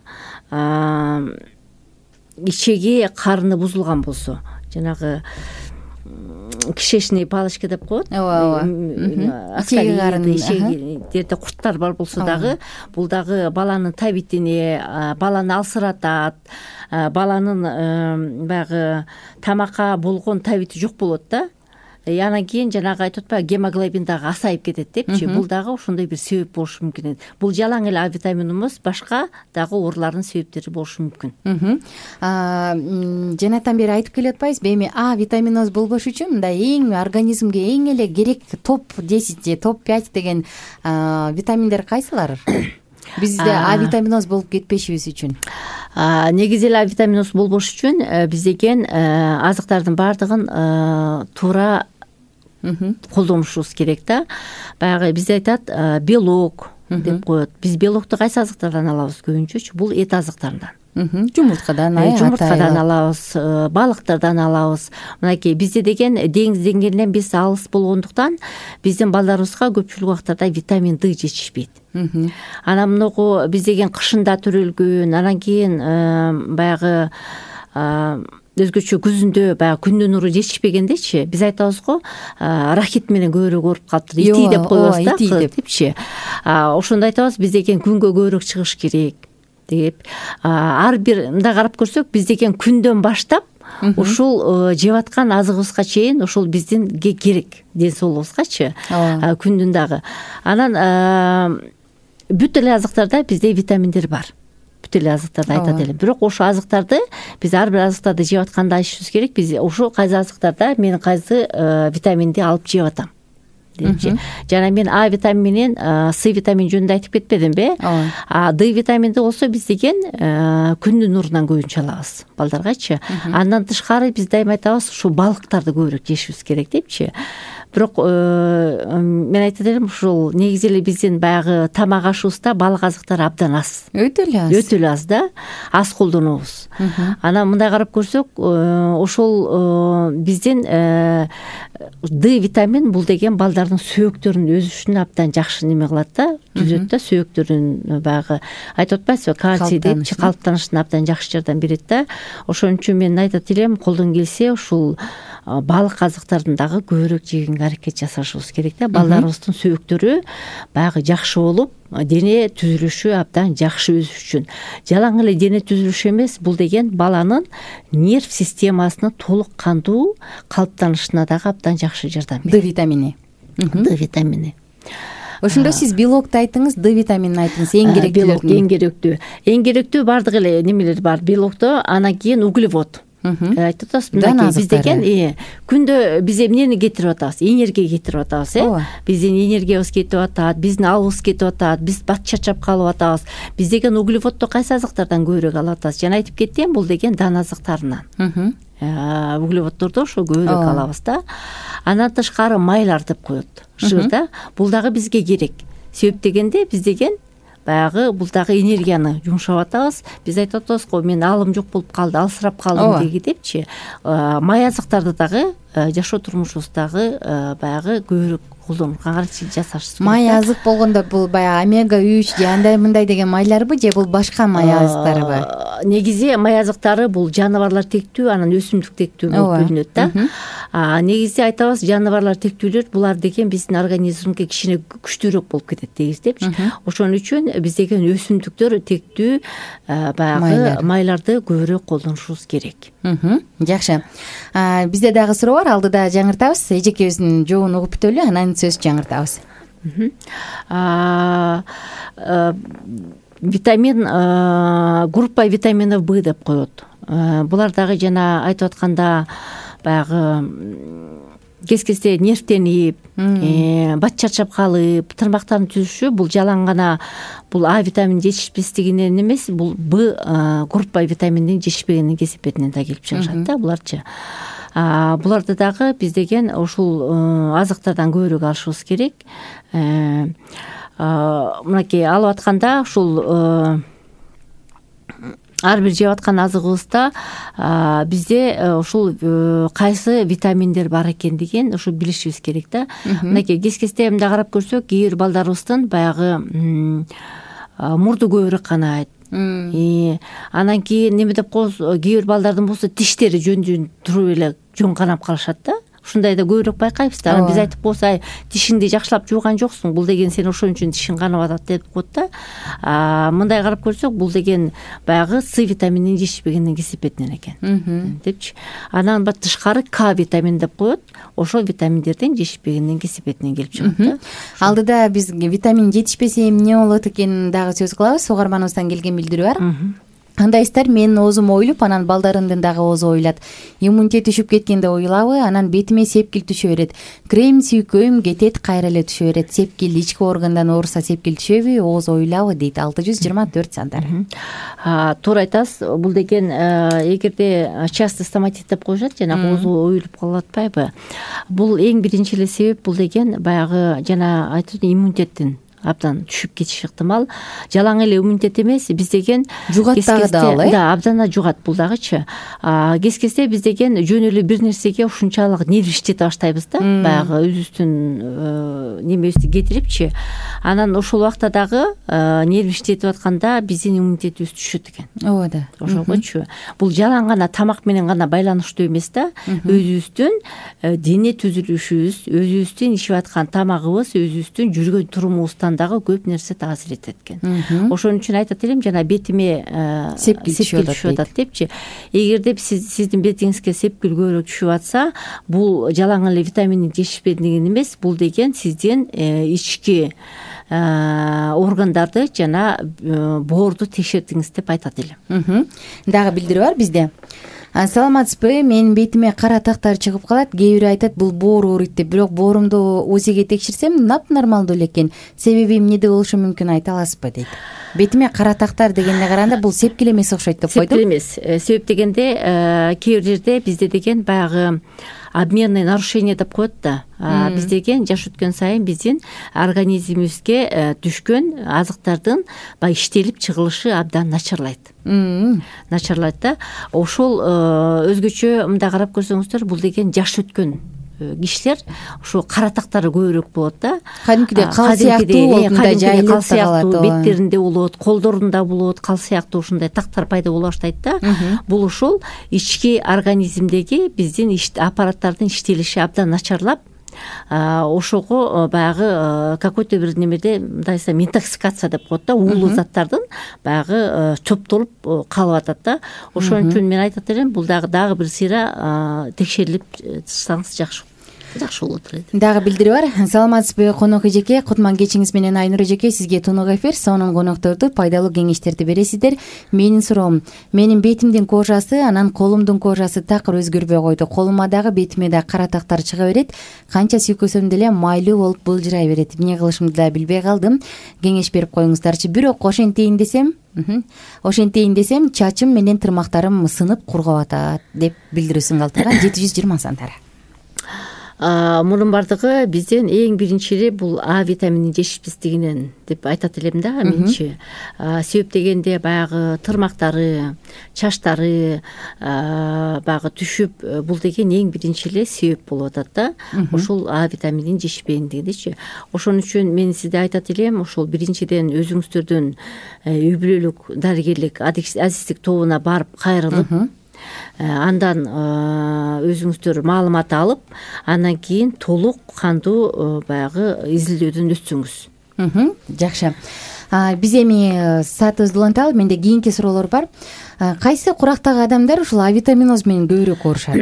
ичеги карыны бузулган болсо, жанагы кишечный палочка деп коет. Ооба, ичеги карын, ичегидерде курттар бар болсо дагы, бул дагы баланын табитине, баланы алсыратат, баланын баягы тамакка болгон табити жок болот да. Анан кийин жанагы айтып атпайбы, гемоглобин дагы азайып кетет депчи. Бул дагы ошондой бир себеп болушу мүмкүн. Бул жалаң эле А витамини эмес, башка дагы оорулардын себептери болушу мүмкүн. Жанатан бери айтып келип атпайсызбы, эми А витаминоз болбош үчүн мындай эң организмге эң эле керек топ десять же топ пять деген витаминдер кайсылар? Бизде А витаминоз болуп кетпешибиз үчүн. Негизи эле А витаминоз болбош үчүн биз деген азыктардын баардыгын туура колдонушубуз керек да. Баягы бизде айтат белок деп коет. Биз белокту кайсы азыктардан алабыз көбүнчөчү? Бул эт азыктарынан. жумурткадан жумурткадан алабыз, балыктардан алабыз. Мынакей бизде деген деңиз деңгээлинен биз алыс болгондуктан биздин балдарыбызга көпчүлүк убактарда витамин Д жетишпейт. Анан мынагу биз деген кышында төрөлгөн, анан кийин баягы өзгөчө күзүндө баягы күндүн нуру жетишпегендечи биз айтабыз го, рахит менен көбүрөөк ооруп калыптыр, ити деп коебуз да депчи. Ошондо айтабыз биз деген күнгө көбүрөөк чыгыш керек деп. Ар бир мындай карап көрсөк, биз деген күндөн баштап ушул жеп аткан азыгыбызга чейин ушул биздин керек ден соолугубузгачы, күндүн дагы. Анан бүт эле азыктарда бизде витаминдер бар. Бүт эле азыктарды айтат элем. Бирок ошол азыктарды биз ар бир азыктарды жеп атканда айтышыбыз керек. Биз ошол кайсы азыктарда мен кайсы витаминди алып жеп атам депчи. Жана мен А витамини менен С витамини жөнүндө айтып кетпедимби? А Д витаминди болсо биз деген күндүн нурунан көбүнчө алабыз балдаргачы. Андан тышкары биз дайыма айтабыз, ушул балыктарды көбүрөөк жешибиз керек депчи. Бирок мен айтат элем, ушул негизи эле биздин баягы тамак ашыбызда балык азыктары абдан аз. Өтө эле аз. Өтө эле аз да, аз колдонобуз. Анан мындай карап көрсөк, ошол биздин Д витамин бул деген балдардын сөөктөрүнүн өсүшүнө абдан жакшы неме кылат да, түзөт да, сөөктөрүн баягы айтып атпайсызбы, кальций депчи, калыптанышына абдан жакшы жардам берет да. Ошон үчүн мен айтат элем, колдон келсе ушул балык азыктарын дагы көбүрөөк жегенге аракет жасашыбыз керек да. Балдарыбыздын сөөктөрү баягы жакшы болуп, дене түзүлүшү абдан жакшы өсүш үчүн. Жалаң эле дене түзүлүшү эмес, бул деген баланын нерв системасынын толук кандуу калыптанышына дагы абдан жакшы жардам берет. Д витамини. Д витамини. Ошондо сиз белокту айтыңыз, Д витаминин айтыңыз, эң керектүүлөрүн. Эң керектүү. Эң керектүү бардык эле немелер бар. Белокто, анан кийин углевод. Айтып атабыз, мынакей биз деген күндө биз эмнени кетирип атабыз? Энергия кетирип атабыз, э? Биздин энергиябыз кетип атат, биздин абыбыз кетип атат, биз бат чарчап калып атабыз. Биз деген углеводду кайсы азыктардан көбүрөөк алып атабыз? Жана айтып кеттим, бул деген дан азыктарынан. Углеводдорду ошо көбүрөөк алабыз да. Анан тышкары майлар деп коет, жыр да. Бул дагы бизге керек. Себеп дегенде биз деген баягы бул дагы энергияны жумшап атабыз. Биз айтып атабыз го, мен алым жок болуп калды, алсырап калдым деги депчи. Май азыктарды дагы жашоо турмушубуздагы баягы көбүрөөк колдонууга каршы жасашыбыз керек. Май азык болгондо бул баягы омега үч же андай мындай деген майларбы, же бул башка май азыктарыбы? Негизи май азыктары бул жаныбарлар тектүү, анан өсүмдүк тектүү болуп бөлүнөт да. Негизи айтабыз, жаныбарлар тектүүлөр булар деген биздин организмге кичине күчтүүрөөк болуп кетет дегиз депчи. Ошон үчүн биз деген өсүмдүктөр тектүү баягы майларды көбүрөөк колдонушубуз керек. Жакшы. Бизде дагы суроо бар, алдыда жаңыртабыз. Эжекебиздин жообун угуп бүтөлү, анан сөз жаңыртабыз. Витамин, группа витаминов Б деп коет. Булар дагы жана айтып атканда баягы кез-кезде нервтенип, бат чарчап калып, тырмактардын түзүшү бул жалаң гана бул А витамини жетишпестигинен эмес, бул Б группа витаминдин жетишпегенинин кесепетинен да келип чыгышат да буларчы. Буларды дагы биз деген ушул азыктардан көбүрөөк алышыбыз керек. Мынакей алып атканда ушул ар бир жеп аткан азыгыбызда бизде ушул кайсы витаминдер бар экендигин ушу билишибиз керек да. Мынакей кез-кезде мындай карап көрсөк, кээ бир балдарыбыздын баягы мурду көбүрөөк канайт. Анан кийин неме деп коебуз, кээ бир балдардын болсо тиштери жөн-жөн туруп эле жөн канап калышат да. Ушундай да көбүрөөк байкайбыз да. Анан биз айтып коебуз, ай, тишиңди жакшылап жууган жоксуң, бул деген сен ошон үчүн тишиң канып атат деп коет да. Мындай карап көрсөк, бул деген баягы С витамининин жетишпегенинин кесепетинен экен депчи. Анан бат тышкары К витамин деп коет. Ошол витаминдердин жетишпегенинин кесепетинен келип чыгат да. Алдыда биз витамин жетишпесе эмне болот экенин дагы сөз кылабыз. Угарманыбыздан келген билдирүү бар. Андайсыздар, менин оозум оюлуп, анан балдарымдын дагы оозу оюлат. Иммунитет түшүп кеткенде оюлабы, анан бетиме сепкил түшө берет. Крем сүйкөйм кетет, кайра эле түшө берет. Сепкил ички органдан ооруса сепкил түшөбү, ооз оюлабы дейт. алты жүз жыйырма төрт сандар. Туура айтасыз. Бул деген эгерде частый стоматит деп коюшат, жана оозу оюлуп калып атпайбы? Бул эң биринчи эле себеп, бул деген баягы жана айтып иммунитеттин абдан түшүп кетиши ыктымал. Жалаң эле иммунитет эмес, биз деген жугат дагы да, да, абдан жугат бул дагычы. Кез кезде биз деген жөн эле бир нерсеге ушунчалык нерв иштете баштайбыз да, баягы өзүбүздүн немебизди кетирипчи. Анан ошол убакта дагы нерв иштетип атканда биздин иммунитетибиз түшөт экен. Ооба да. Ошогочу бул жалаң гана тамак менен гана байланыштуу эмес да. Өзүбүздүн дене түзүлүшүбүз, өзүбүздүн ичип аткан тамагыбыз, өзүбүздүн жүргөн турумубуздан дагы көп нерсе таасир этет экен. Ошон үчүн айтат элем, жана бетиме сепкил түшүп атат депчи. Эгерде сиз сиздин бетиңизге сепкил көбүрөөк түшүп атса, бул жалаң эле витаминдин жетишпегендиги эмес, бул деген сиздин ички органдарды жана боорду текшердиңиз деп айтат элем. Дагы билдирүү бар бизде. Саламатсызбы, менин бетиме кара тактар чыгып калат. Кээ бирөө айтат бул боор ооруйт деп, бирок боорумду УЗИге текшерсем нап нормалдуу эле экен. Себеби эмнеде болушу мүмкүн, айта аласызбы дейт. Бетиме кара тактар дегенге караганда бул сепкил эмес окшойт деп койдум. Сепкил эмес. Себеп дегенде кээ бир жерде бизде деген баягы обменный нарушение деп коет да. Биз деген жаш өткөн сайын биздин организмибизге түшкөн азыктардын баягы иштелип чыгылышы абдан начарлайт. Начарлайт да. Ошол өзгөчө мындай карап көрсөңүздөр, бул деген жаш өткөн кишилер ошо кара тактары көбүрөөк болот да. Кадимкидей кал сыяктуу, мындай жайылып калат, беттеринде болот, колдорунда болот, кал сыяктуу ушундай тактар пайда боло баштайт да. Бул ошол ички организмдеги биздин аппараттардын иштелиши абдан начарлап, ошого баягы какой-то бир немеде мындай десем интоксикация деп коет да, уулуу заттардын баягы чоптолуп калып атат да. Ошон үчүн мен айтат элем, бул дагы дагы бир сыйра текшерилип чыксаңыз жакшы жакшы болот эле. Дагы билдирүү бар. Саламатсызбы конок эжеке, Кутман кечиңиз менен Айнур эжеке, сизге тунук эфир, сонун конокторду пайдалуу кеңештерди бересиздер. Менин суроом, менин бетимдин кожасы, анан колумдун кожасы такыр өзгөрбөй койду. Колума дагы, бетиме да кара тактар чыга берет. Канча сүйкөсөм деле майлуу болуп былжырай берет. Эмне кылышымды да билбей калдым. Кеңеш берип коюңуздарчы. Бирок ошентейин десем, ошентейин десем чачым менен тырмактарым сынып кургап атат деп билдирүүсүн калтырган жети жүз жыйырма сандары. Мунун бардыгы биздин эң биринчи эле бул А витамининин жетишпестигинен деп айтат элем да менчи. Себеп дегенде баягы тырмактары, чачтары баягы түшүп, бул деген эң биринчи эле себеп болуп атат да. Ошол А витамининин жетишпегендигичи. Ошон үчүн мен сизде айтат элем, ошол биринчиден өзүңүздөрдүн үй бүлөлүк дарыгерлик азиздик тобуна барып кайрылып, андан өзүңүздөр маалымат алып, андан кийин толук кандуу баягы изилдөөдөн өтсөңүз. Жакшы. Биз эми саатыбызды уланталы, менде кийинки суроолор бар. Кайсы курактагы адамдар ушул А витаминоз менен көбүрөөк оорушат?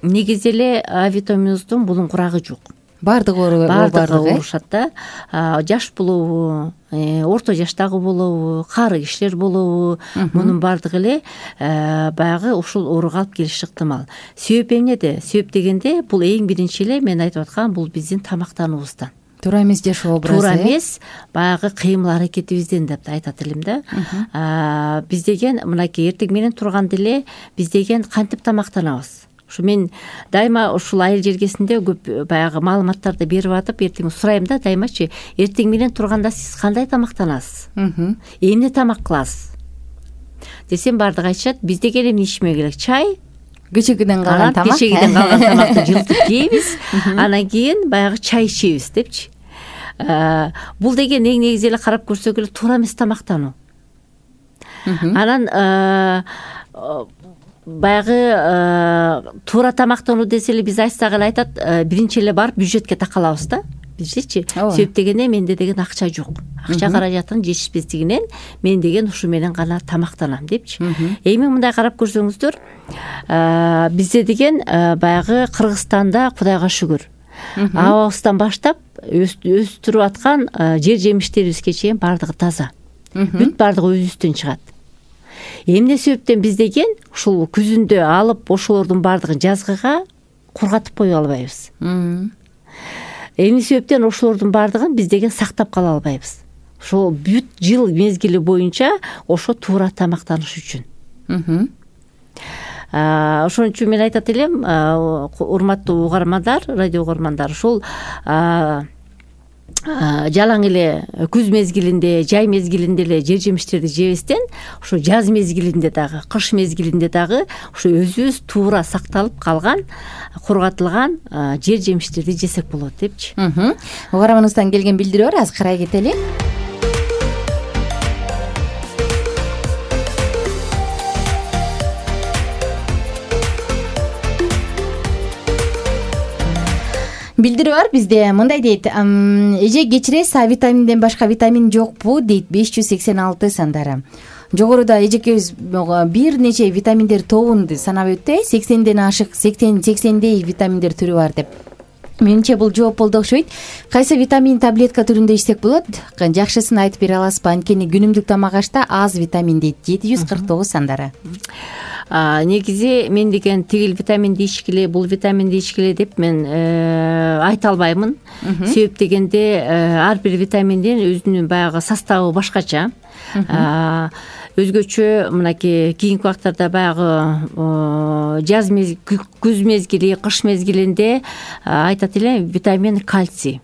Негизи эле А витаминоздун bunun курагы жок. Бардыгы оорушат да. Жаш болобу, орто жаштагы болобу, кары кишилер болобу, мунун бардыгы эле баягы ушул ооруга алып келиши ыктымал. Себеп эмнеде? Себеп дегенде бул эң биринчи эле мен айтып аткан бул биздин тамактануубуздан. Туура эмес жашоо образы. Туура эмес баягы кыймыл аракетибизден деп айтат элем да. Биз деген мынакей эртең менен турганда эле биз деген кантип тамактанабыз? Ушу мен дайыма ушул айыл жергесинде көп баягы маалыматтарды берип атып, эртең сурайм да дайымачы, эртең менен турганда сиз кандай тамактанасыз? Эмне тамак кыласыз? Десем бардыгы айтышат, биз деген эмне ичмек керек? Чай, кечегиден калган тамак. Кечегиден калган тамакты жылтып жейбиз, анан кийин баягы чай ичебиз депчи. Бул деген эң негизи эле карап көрсөк эле туура эмес тамактануу. Анан баягы туура тамактануу десе эле биз айтсак эле айтат, биринчи эле барып бюджетке такалабыз да. Бизчи себеп дегенде менде деген акча жок. Акча каражаттын жетишпестигинен мен деген ушу менен гана тамактанам депчи. Эми мындай карап көрсөңүздөр, бизде деген баягы Кыргызстанда Кудайга шүгүр абабыздан баштап өстүрүп аткан жер жемиштерибизге чейин бардыгы таза. Бүт бардыгы өзүбүздөн чыгат. Эмне себептен биз деген ушул күзүндө алып ошолордун бардыгын жазгыга кургатып кое албайбыз. Эмне себептен ошолордун бардыгын биз деген сактап кала албайбыз. Ошол бүт жыл мезгили боюнча ошо туура тамактаныш үчүн. Ошон үчүн мен айтат элем, урматтуу угармандар, радио угармандар, ушул жалаң эле күз мезгилинде, жай мезгилинде эле жер жемиштерди жебестен ошо жаз мезгилинде дагы, кыш мезгилинде дагы ошо өзүбүз туура сакталып калган, кургатылган жер жемиштерди жесек болот депчи. Угарманыбыздан келген билдирүү бар, азыр карай кетели. Билдирүү бар бизде, мындай дейт: эже кечиресиз, А витаминден башка витамин жокпу дейт беш жүз сексен алты сандары. Жогоруда эжекебиз бир нече витаминдер тобун санап өттү, сексенден ашык, сексен сексендей витаминдер түрү бар деп. Менимче бул жооп болду окшойт. Кайсы витамин таблетка түрүндө ичсек болот? Жакшысын айтып бере аласызбы? Анткени күнүмдүк тамак ашта аз витамин дейт жети жүз кырк тогуз сандары. Негизи мен деген тигил витаминди ичкиле, бул витаминди ичкиле деп мен айта албаймын. Себеп дегенде ар бир витаминдин өзүнүн баягы составы башкача. Өзгөчө мынакей кийинки убактарда баягы жаз мезгили, күз мезгили, кыш мезгилинде айтат эле витамин кальций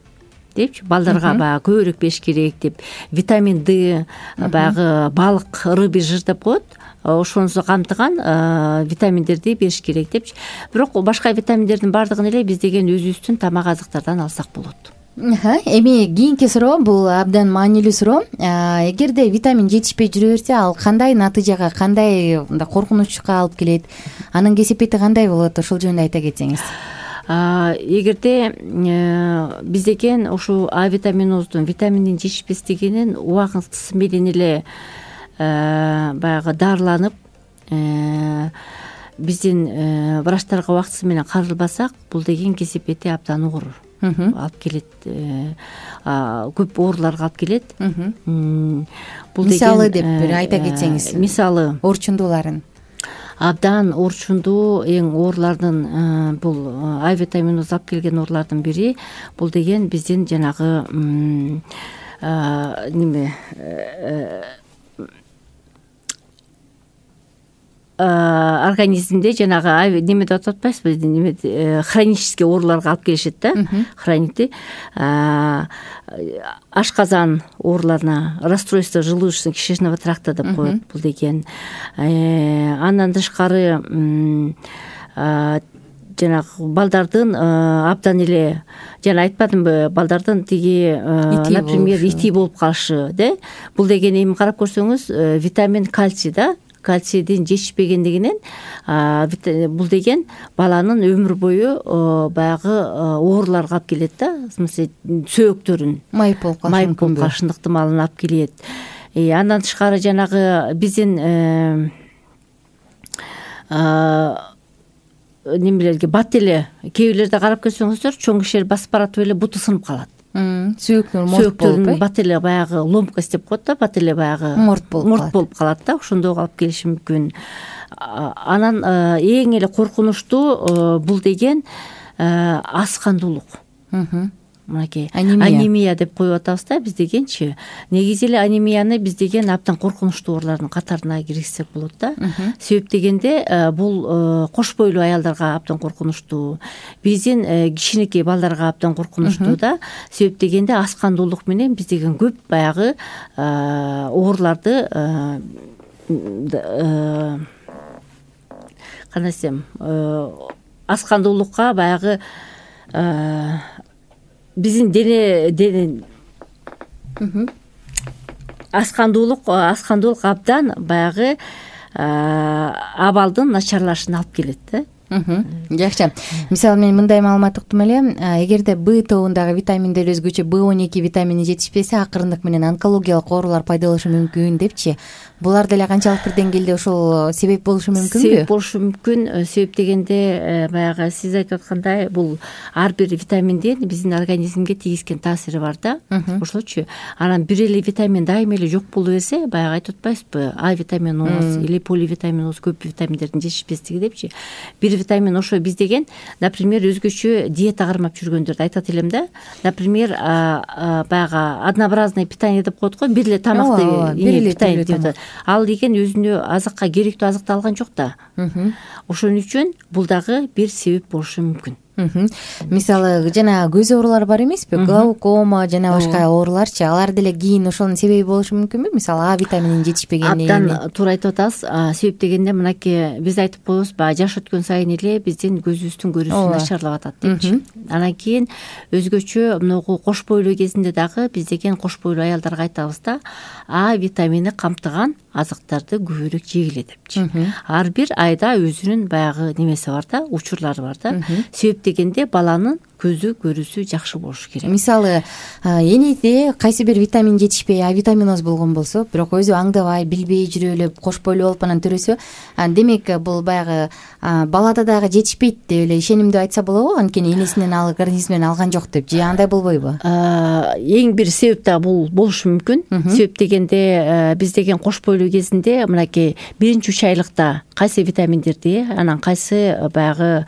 депчи, балдарга баягы көбүрөөк бериш керек деп. Витамин Д, баягы балык, рыбий жир деп коет. Ошонусу камтыган витаминдерди бериш керек депчи. Бирок башка витаминдердин баардыгын эле биз деген өзүбүздүн тамак азыктардан алсак болот. Эми кийинки суроо, бул абдан маанилүү суроо. Эгерде витамин жетишпей жүрө берсе, ал кандай натыйжага, кандай коркунучка алып келет? Анын кесепети кандай болот? Ошол жөнүндө айта кетсеңиз. Эгерде биз деген ушул А витаминозун, витаминдин жетишпестигинин убактысы менен эле баягы дарыланып, биздин врачтарга убактысы менен каралбасак, бул деген кесепети абдан оор алып келет, көп ооруларга алып келет. Бул мисалы деп бир айта кетсеңиз. Мисалы орчундууларын. Абдан орчундуу эң оорулардын бул А витаминоз алып келген оорулардын бири бул деген биздин жанагы неме организмде жанагы неме деп атпайсызбы, неме хронический ооруларга алып келишет да, хронити, ашказан ооруларына, расстройство желудочно-кишечного тракта деп коет бул деген. Андан тышкары жанагы балдардын абдан эле, жана айтпадымбы, балдардын тиги, например, ити болуп калышы, да? Бул деген эми карап көрсөңүз, витамин кальций да, кальцийдин жетишпегендигинен бул деген баланын өмүр бою баягы ооруларга алып келет да, в смысле сөөктөрүн майып болуп калышы, майып болуп калышы ыктымалын алып келет. Андан тышкары жанагы биздин немелерге бат эле, кээ бирлерде карап көрсөңүздөр, чоң кишилер басып баратып эле буту сынып калат. Сөөктөр морт болуп, бат эле баягы ломкость деп коет да, бат эле баягы морт болуп болуп калат да, ошондой алып келиши мүмкүн. Анан эң эле коркунучтуу бул деген аз кандуулук. Мынакей анемия деп коюп атабыз да биз дегенчи. Негизи эле анемияны биз деген абдан коркунучтуу оорулардын катарына киргизсек болот да. Себеп дегенде бул кош бойлуу аялдарга абдан коркунучтуу, биздин кичинекей балдарга абдан коркунучтуу да. Себеп дегенде аз кандуулук менен биз деген көп баягы ооруларды кандай десем, аз кандуулукка баягы биздин дене аскандуулук аскандуулук абдан баягы абалдын начарлашына алып келет да. Жакшы. Мисалы мен мындай маалымат уктум эле, эгерде Б тобундагы витаминдер өзгөчө Б он эки витамини жетишпесе, акырындык менен онкологиялык оорулар пайда болушу мүмкүн депчи. Булар деле канчалык бир деңгээлде ошол себеп болушу мүмкүнбү? Себеп болушу мүмкүн. Себеп дегенде баягы сиз айтып аткандай, бул ар бир витаминдин биздин организмге тийгизген таасири бар да. Ошолчу. Анан бир эле витамин дайыма эле жок боло берсе, баягы айтып атпайсызбы, А витаминоз или поливитаминоз, көп витаминдердин жетишпестиги депчи. Бир витамин ошо биз деген, например, өзгөчө диета кармап жүргөндөрдү айтат элем да. Например, баягы однообразное питание деп коет го, бир эле тамакты питание деп. Ал деген өзүнө азыкка керектүү азыкты алган жок да. Ошон үчүн бул дагы бир себеп болушу мүмкүн. Мисалы жана көз оорулары бар эмеспи, глаукома жана башка ооруларчы, алар деле кийин ошонун себеби болушу мүмкүнбү? Мисалы А витамининин жетишпегени. Абдан туура айтып атасыз. Себеп дегенде мынакей биз айтып коебуз, баягы жаш өткөн сайын эле биздин көзүбүздүн көрүүсү начарлап атат депчи. Анан кийин өзгөчө мынагу кош бойлуу кезинде дагы биз деген кош бойлуу аялдарга айтабыз да, А витамини камтыган азыктарды көбүрөөк жегиле депчи. Ар бир айда өзүнүн баягы немеси бар да, учурлары бар да. Себеп дегенде баланын көзү көрүүсү жакшы болушу керек. Мисалы энеде кайсы бир витамин жетишпей, А витаминоз болгон болсо, бирок өзү аңдабай, билбей жүрүп эле кош бойлуу болуп анан төрөсө, демек бул баягы балада дагы жетишпейт деп эле ишенимдүү айтса болобу? Анткени энесинен алып, организминен алган жок деп, же андай болбойбу? Эң бир себеп да бул болушу мүмкүн. Себеп дегенде биз деген кош бойлуу кезинде мынакей биринчи үч айлыкта кайсы витаминдерди, анан кайсы баягы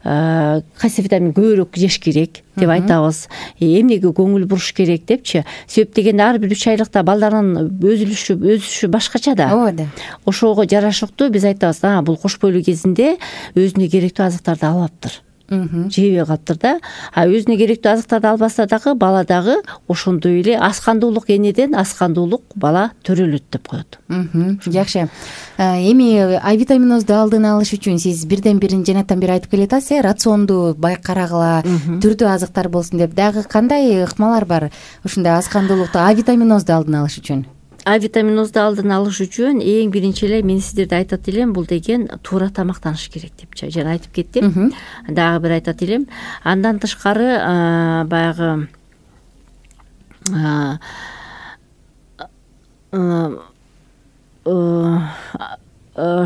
кайсы витамин көбүрөөк жеш керек деп айтабыз, эмнеге көңүл буруш керек депчи. Себеп дегенде ар бир үч айлыкта балдардын өзүлүшү өсүшү башкача да. Ооба. Ошого жарашыктуу биз айтабыз, а бул кош бойлуу кезинде өзүнө керектүү азыктарды албаптыр, жебей калыптыр да. А өзүнө керектүү азыктарды албаса дагы бала дагы ошондой эле аскандуулук, энеден аскандуулук бала төрөлөт деп коет. Жакшы. Эми А витаминозду алдын алыш үчүн сиз бирден бирин жанатан бери айтып келатасыз, рационду байкарагыла, түрдүү азыктар болсун деп. Дагы кандай ыкмалар бар ушундай аскандуулукту, А витаминозду алдын алыш үчүн? А витаминозду алдын алыш үчүн эң биринчи эле мен сиздерге айтат элем, бул деген туура тамактаныш керек депчи. Жана айтып кеттим. Дагы бир айтат элем. Андан тышкары баягы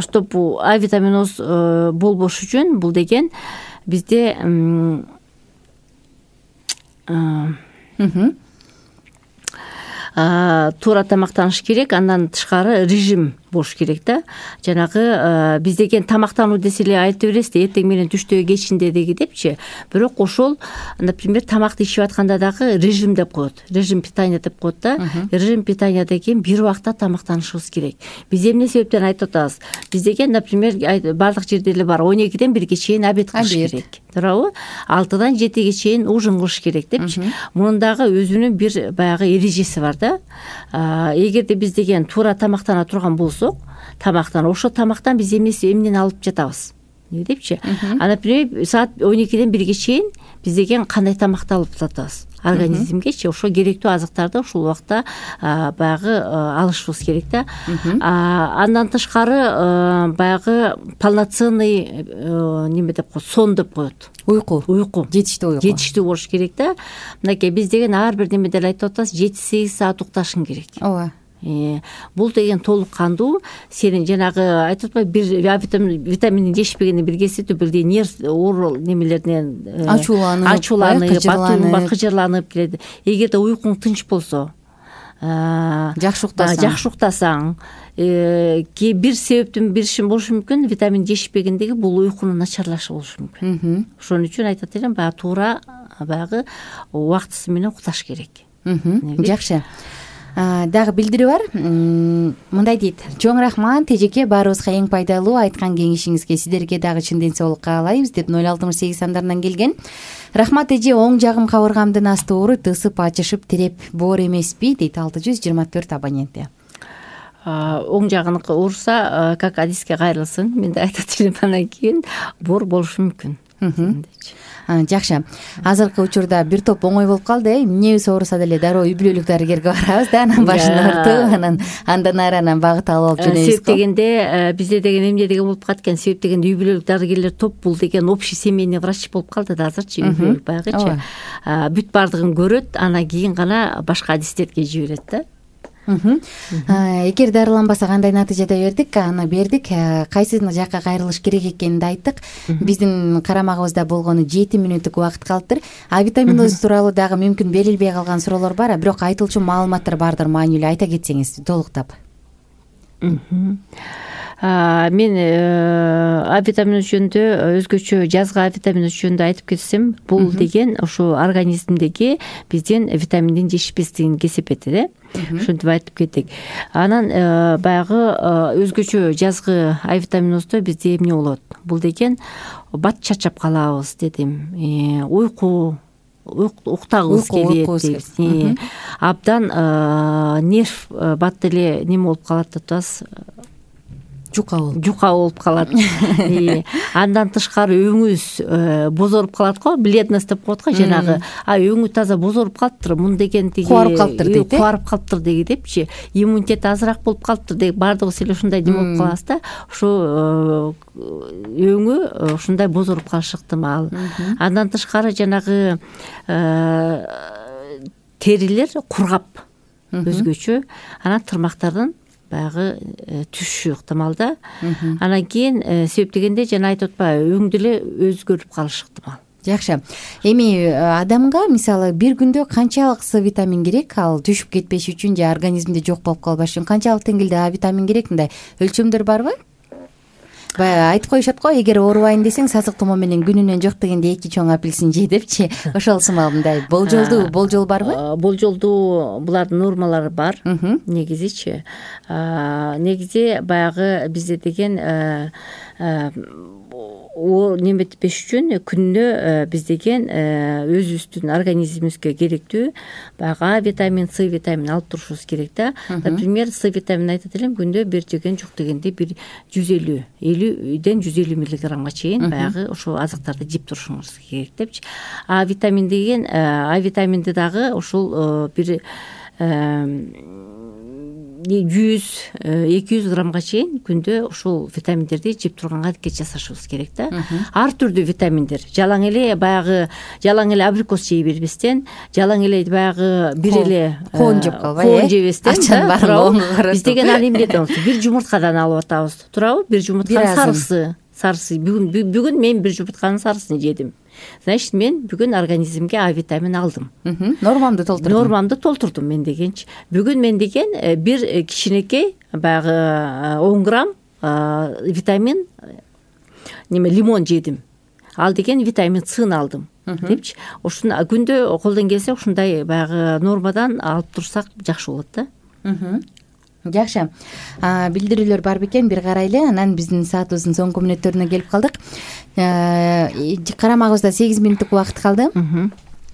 чтобы А витаминоз болбош үчүн бул деген бизде туура тамактаныш керек. Андан тышкары режим болуш керек да. Жанагы биз деген тамактануу десе эле айта бересиз да, эртең менен түштө кечинде деги депчи. Бирок ошол, например, тамакты ичип атканда дагы режим деп коет. Режим питания деп коет да. Режим питаниядан кийин бир убакта тамактанышыбыз керек. Биз эмне себептен айтып атабыз? Биз деген, например, бардык жерде эле бар, он экиден бирге чейин обед кылыш керек. Туурабы? алтыдан жетиге чейин ужин кылыш керек депчи. Мунун дагы өзүнүн бир баягы эрежеси бар да. Эгерде биз деген туура тамактана турган болсок, тамактан ошо тамактан биз эмеси эмнени алып жатабыз депчи. А, например, саат он экиден бирге чейин биз деген кандай тамакты алып жатабыз? Организмгечи ошо керектүү азыктарды ошол убакта баягы алышыбыз керек да. Андан тышкары баягы полноценный неме деп коет, сон деп коет. Уйку. Уйку. Жетиштүү уйку. Жетиштүү болуш керек да. Мынакей биз деген ар бир немеде айтып атабыз, жети сегиз саат укташың керек. Ооба. Бул деген толук кандуу, сенин жанагы айтып атпайбы, бир А витаминин жетишпегени биргесип, бирдей нерв оору немелеринен ачууланып, ачууланып, батыланып, кыжырланып келет. Эгерде уйкуң тынч болсо, жакшы уктасаң, жакшы уктасаң, ки бир себептин бириши болушу мүмкүн, витамин жетишпегендеги бул уйкунун начарлашы болушу мүмкүн. Ошон үчүн айтат элем, баягы туура баягы убактысы менен укташ керек. Жакшы. Дагы билдирүү бар. Мындай дейт: чоң рахмат эжеке, баарыбызга эң пайдалуу айткан кеңешиңизге. Сиздерге дагы чын ден соолук каалайбыз деп ноль алтымыш сегиз сандарынан келген. Рахмат эже, оң жагым кабыргамдын асты ооруйт, ысып ачышып тереп боор эмеспи дейт алты жүз жыйырма төрт абоненти. Оң жагын ооруса, как адиске кайрылсын. Мен да айтат элем, андан кийин боор болушу мүмкүн. Жакшы. Азыркы учурда бир топ оңой болуп калды. Эмнебиз ооруса деле дароо үй бүлөлүк дарыгерге барабыз да, анан башын ортуп, анан андан ары анан багыт алып алып жөнөйбүз. Себеп дегенде бизде деген эмне деген болуп калат экен? Себеп дегенде үй бүлөлүк дарыгерлер топ, бул деген общий семейный врач болуп калды да азырчы, үй бүлөлүк баягычы. Бүт бардыгын көрөт, анан кийин гана башка адистерге жиберет да. Эгер дарыланбаса кандай натыйжада бердик, аны бердик. Кайсы жакка кайрылыш керек экенин да айттык. Биздин карамагыбызда болгону жети мүнөттүк убакыт калыптыр. А витаминоз тууралуу дагы мүмкүн берилбей калган суроолор бар, бирок айтылчу маалыматтар бардыр, маанилүү айта кетсеңиз толуктап. Мен А витаминоз жөнүндө өзгөчө жазгы А витаминоз жөнүндө айтып кетсем, бул деген ошо организмдеги биздин витаминдин жетишпестигин кесепети да. Ошентип айтып кеттик. Анан баягы өзгөчө жазгы А витаминоздо бизде эмне болот? бул деген бат чарчап калабыз дедим, уйку уктагыбыз келет, абдан нерв бат эле неме болуп калат деп атабыз, жука болуп жука болуп калат. Андан тышкары өңүбүз бозоруп калат го, бледность деп коет го, жанагы а өңү таза бозоруп калыптыр, мун деген тиги кубарып калыптыр дейт, э кубарып калыптыр деги депчи, иммунитет азыраак болуп калыптыр деги, баардыгыбыз эле ушундай неме болуп калабыз да, ошо өңү ушундай бозоруп калышы ыктымал. Андан тышкары жанагы терилер кургап өзгөчө, анан тырмактардын баягы түшүшү ыктымал да. Анан кийин себеп дегенде жана айтып атпайбы, өң деле өзгөрүп калышы ыктымал. Жакшы. Эми адамга мисалы бир күндө канчалык С витамин керек, ал түшүп кетпеш үчүн же организмде жок болуп калбаш үчүн канчалык деңгээлде А витамин керек, мындай өлчөмдөр барбы? Баягы айтып коюшат го, эгер оорубайм десең сасык тумоо менен күнүнөн жок дегенде эки чоң апельсин же депчи. Ошол сымал мындай болжолдуу болжол барбы? Болжолдуу булардын нормалары бар негизичи. Негизи баягы бизде деген о неметпеш үчүн күнүнө биз деген өзүбүздүн организмибизге керектүү баягы А витамин, С витамин алып турушубуз керек да. Например, С витамин айтат элем, күндө бир жеген жок дегенде бир жүз элүү элүүдөн жүз элүү миллиграммга чейин баягы ошол азыктарды жеп турушуңуз керек депчи. А витамин деген, А витаминди дагы ушул бир жүз эки жүз граммга чейин күндө ушул витаминдерди жеп турганга аракет жасашыбыз керек да. Ар түрдүү витаминдер, жалаң эле баягы жалаң эле абрикос жей бербестен, жалаң эле баягы бир эле коон жеп калбай, коон жебестен да. Биз деген аны эмне дейбиз, бир жумурткадан алып атабыз, туурабы? Бир жумуртканын сарысы, сарысы. Бүгүн бүгүн мен бир жумуртканын сарысын жедим. Значит, мен бүгүн организмге А витамин алдым. Нормамды толтурдум. Нормамды толтурдум мен дегенчи. Бүгүн мен деген бир кичинекей баягы он грамм витамин неме лимон жедим. Ал деген витамин Сны алдым депчи. Ушуну күндө колдон келсе ушундай баягы нормадан алып турсак жакшы болот да. Жакшы. Билдирүүлөр бар бекен, бир карайлы, анан биздин саатыбыздын соңку мүнөттөрүнө келип калдык. Карамагыбызда сегиз мүнөттүк убакыт калды.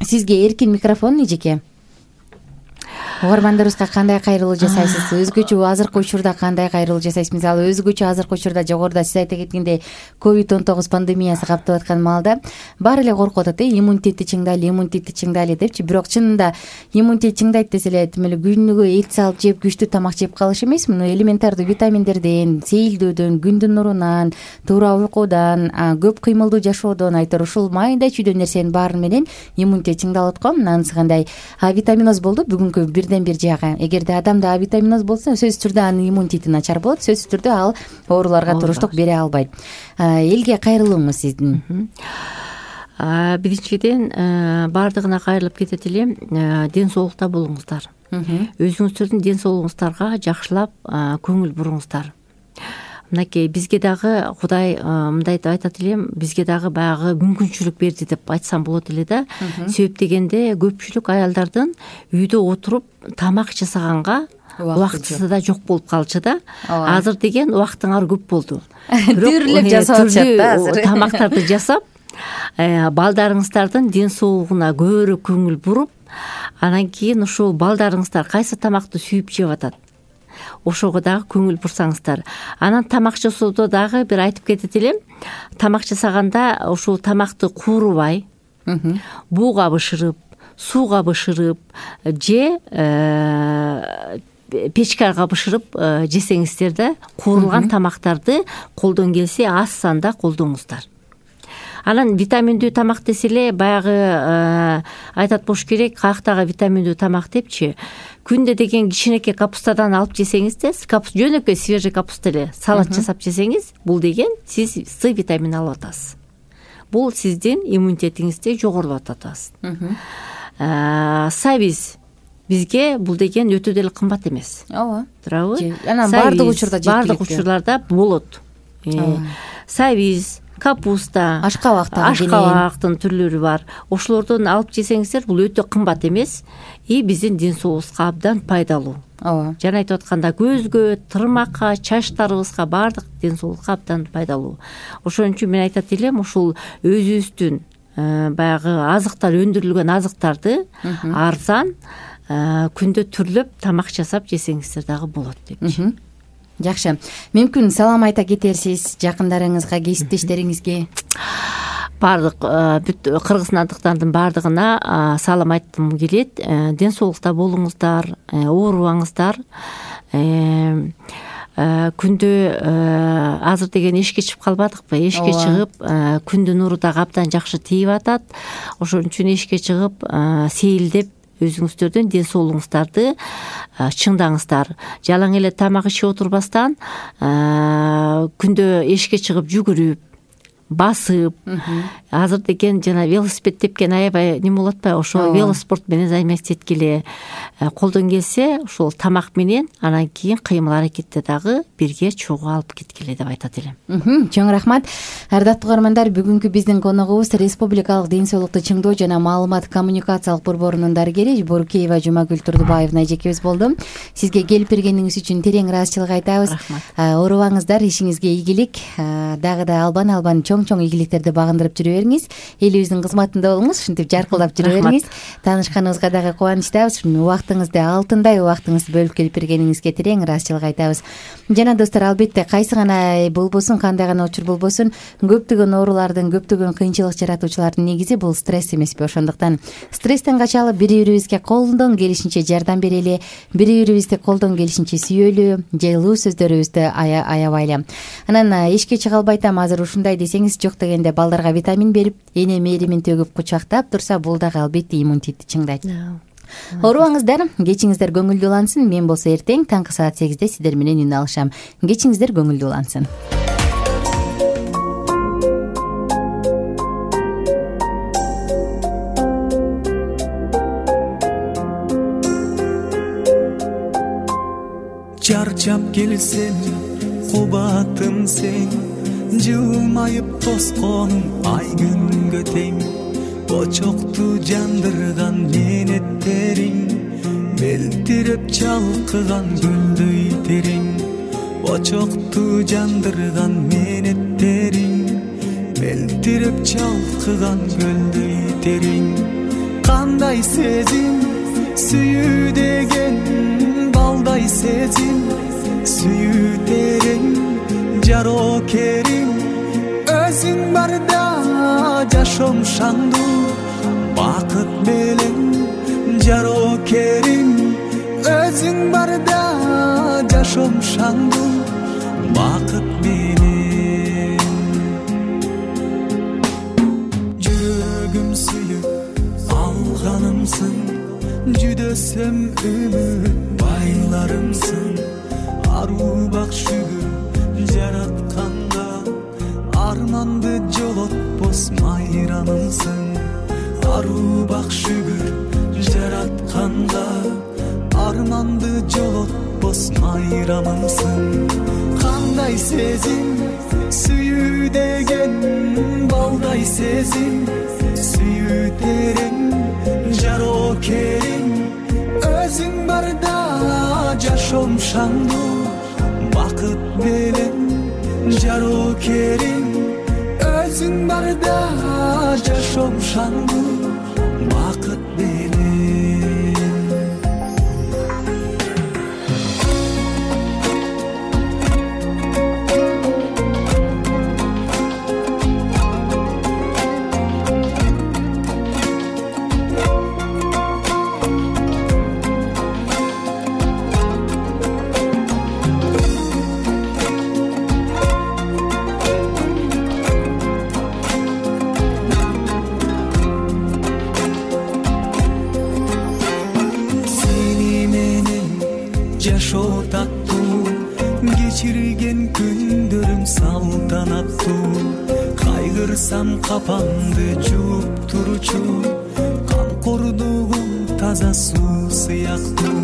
Сизге эркин микрофон, эжеке. Угармандарыбызга кандай кайрылуу жасайсыз? Өзгөчө азыркы учурда кандай кайрылуу жасайсыз? Мисалы, өзгөчө азыркы учурда жогоруда сиз айта кеткендей ковид он тогуз пандемиясы каптап аткан маалда баары эле коркуп атат, э, иммунитетти чыңдайлы, иммунитетти чыңдайлы депчи. Бирок чынында иммунитет чыңдайт десе эле тим эле күнүгө эт салып жеп, күчтүү тамак жеп калыш эмес, муну элементардуу витаминдерден, сейилдөөдөн, күндүн нурунан, туура уйкудан, көп кыймылдуу жашоодон, айтор ушул майда чүйдө нерсенин баары менен иммунитет чыңдалат го. Анысы кандай А витаминоз болду бүгүнкү бирден бир жагы. Эгерде адамда А витаминоз болсо, сөзсүз түрдө анын иммунитети начар болот, сөзсүз түрдө ал ооруларга туруштук бере албайт. Элге кайрылууңуз сиздин? Биринчиден баардыгына кайрылып кетет элем, ден соолукта болуңуздар. Өзүңүздөрдүн ден соолугуңуздарга жакшылап көңүл буруңуздар. Мынакей бизге дагы Кудай мындай деп айтат элем, бизге дагы баягы мүмкүнчүлүк берди деп айтсам болот эле да. Себеп дегенде көпчүлүк аялдардын үйдө отуруп тамак жасаганга убактысы да жок болуп калчу да. Азыр деген убактыңар көп болду. Түрлүп жасап атышат да азыр. Тамактарды жасап, балдарыңыздардын ден соолугуна көбүрөөк көңүл буруп, анан кийин ушул балдарыңыздар кайсы тамакты сүйүп жеп атат, ошого дагы көңүл бурсаңыздар. Анан тамак жасоодо дагы бир айтып кетет элем, тамак жасаганда ушул тамакты куурубай, бууга бышырып, сууга бышырып же печкага бышырып жесеңиздер да, куурулган тамактарды колдон келсе аз санда колдоңуздар. Анан витаминдүү тамак десе эле баягы айтат болуш керек, каяктагы витаминдүү тамак депчи. Күндө деген кичинекей капустадан алып жесеңиз да, жөнөкөй свежий капуста эле салат жасап жесеңиз, бул деген сиз С витамин алып атасыз. Бул сиздин иммунитетиңизди жогорулап атасыз. Сабиз бизге бул деген өтө деле кымбат эмес. Ооба. Туурабы? Анан баардык учурда жеткиликтүү. Баардык учурларда болот. Сабиз, капуста, ашкабактагы ашкабактын түрлөрү бар. Ошолордон алып жесеңиздер, бул өтө кымбат эмес и биздин ден соолугубузга абдан пайдалуу. Ооба. Жана айтып атканда көзгө, тырмакка, чачтарыбызга баардык ден соолукка абдан пайдалуу. Ошон үчүн мен айтат элем, ушул өзүбүздүн баягы азыктар, өндүрүлгөн азыктарды арзан күндө түрлөп тамак жасап жесеңиздер дагы болот депчи. Жакшы. Мүмкүн салам айта кетерсиз жакындарыңызга, кесиптештериңизге? Бардык бүт кыргызстандыктардын баардыгына салам айткым келет. Ден соолукта болуңуздар, оорубаңыздар. Күндө азыр деген эшикке чыгып калбадыкпы? Эшикке чыгып, күндүн нуру дагы абдан жакшы тийип атат. Ошон үчүн эшикке чыгып, сейилдеп өзүңүздөрдүн ден соолугуңуздарды чыңдаңыздар. Жалаң эле тамак ичип отурбастан күндө эшикке чыгып жүгүрүп, басып, азыр деген жана велосипед тепкен аябай неме болуп атпайбы? Ошо велоспорт менен займатиться эткиле. Колдон келсе, ошол тамак менен анан кийин кыймыл аракетте дагы бирге чогуу алып кеткиле деп айтат элем. Чоң рахмат. Ардактуу угармандар, бүгүнкү биздин коногубуз Республикалык ден соолукту чыңдоо жана маалымат коммуникациялык борборунун дарыгери Борукеева Жумагүл Турдубаевна эжекебиз болду. Сизге келип бергениңиз үчүн терең ыраазычылык айтабыз. Оорубаңыздар, ишиңизге ийгилик, дагы да албан албан чоң чоң ийгиликтерди багындырып жүрө бериңиз. Элибиздин кызматында болуңуз, ушинтип жаркылдап жүрө бериңиз. Таанышканыбызга дагы кубанычтабыз. Убактыңызды, алтындай убактыңызды бөлүп келип бергениңизге терең ыраазычылык айтабыз. Жана достор, албетте кайсы гана болбосун, кандай гана учур болбосун, көптөгөн оорулардын, көптөгөн кыйынчылык жаратуучулардын негизи бул стресс эмеспи? Ошондуктан стресстен качалы, бири-бирибизге колдон келишинче жардам берели, бири-бирибизди колдон келишинче сүйөлү, жылуу сөздөрүбүздү аябайлы. Анан эшикке чыга албайтам азыр ушундай десеңиз, жок дегенде балдарга витамин берип, эне мээримин төгүп кучактап турса, бул дагы албетте иммунитетти чыңдайт. Оорубаңыздар, кечиңиздер көңүлдүү улансын. Мен болсо эртең таңкы саат сегизде сиздер менен үн алышам. Кечиңиздер көңүлдүү улансын. Чарчап келсем, кубатым сен, жылмайып тосконум ай күнгө тең. Очокту жандырган менеттериң, мелтиреп чалкыган гүлдөй терең. Очокту жандырган менеттериң, мелтиреп чалкыган гүлдөй терең. Кандай сезим, сүйүү деген, балдай сезим, сүйүү терең. Жарокерим, өзүң барда жашоом шаңдуу, бакыт менен. Жарокерим, өзүң барда жашоом шаңдуу, бакыт менен. Жүрөгүм сүйүп алганымсың, жүдөсөм үмүт байларымсың. Аруу бак шүгүр жаратканга, арманды жолотпос майрамымсың. Аруу бак шүгүр жаратканга, арманды жолотпос майрамымсың. Кандай сезим, сүйүү деген, балдай сезим, сүйүү терең. Жарокерим, өзүң барда жашоом шаңдуу, бакыт менен. Жарокерим, өзүң барда жашоом шаңдуу, бакыт менен. Жашоо таттуу, кечирген күндөрүм салтанаттуу. Кайгырсам капамды жууп турчу, камкордугум таза суу сыяктуу.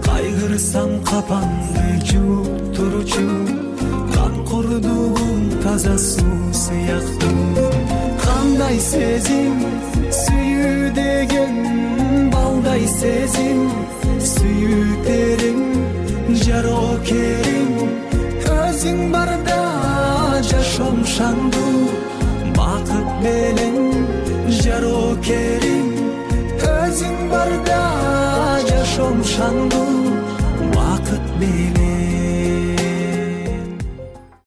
Кайгырсам капамды жууп турчу, камкордугум таза таза суу сыяктуу. Кандай сезим сүйүү деген, балдай сезим сүйүү териң, жарокерим өзүң барда жашоом шаңдуу. Бакыт белең жарокерим өзүң барда жашоом шаңдуу. Бакыт белең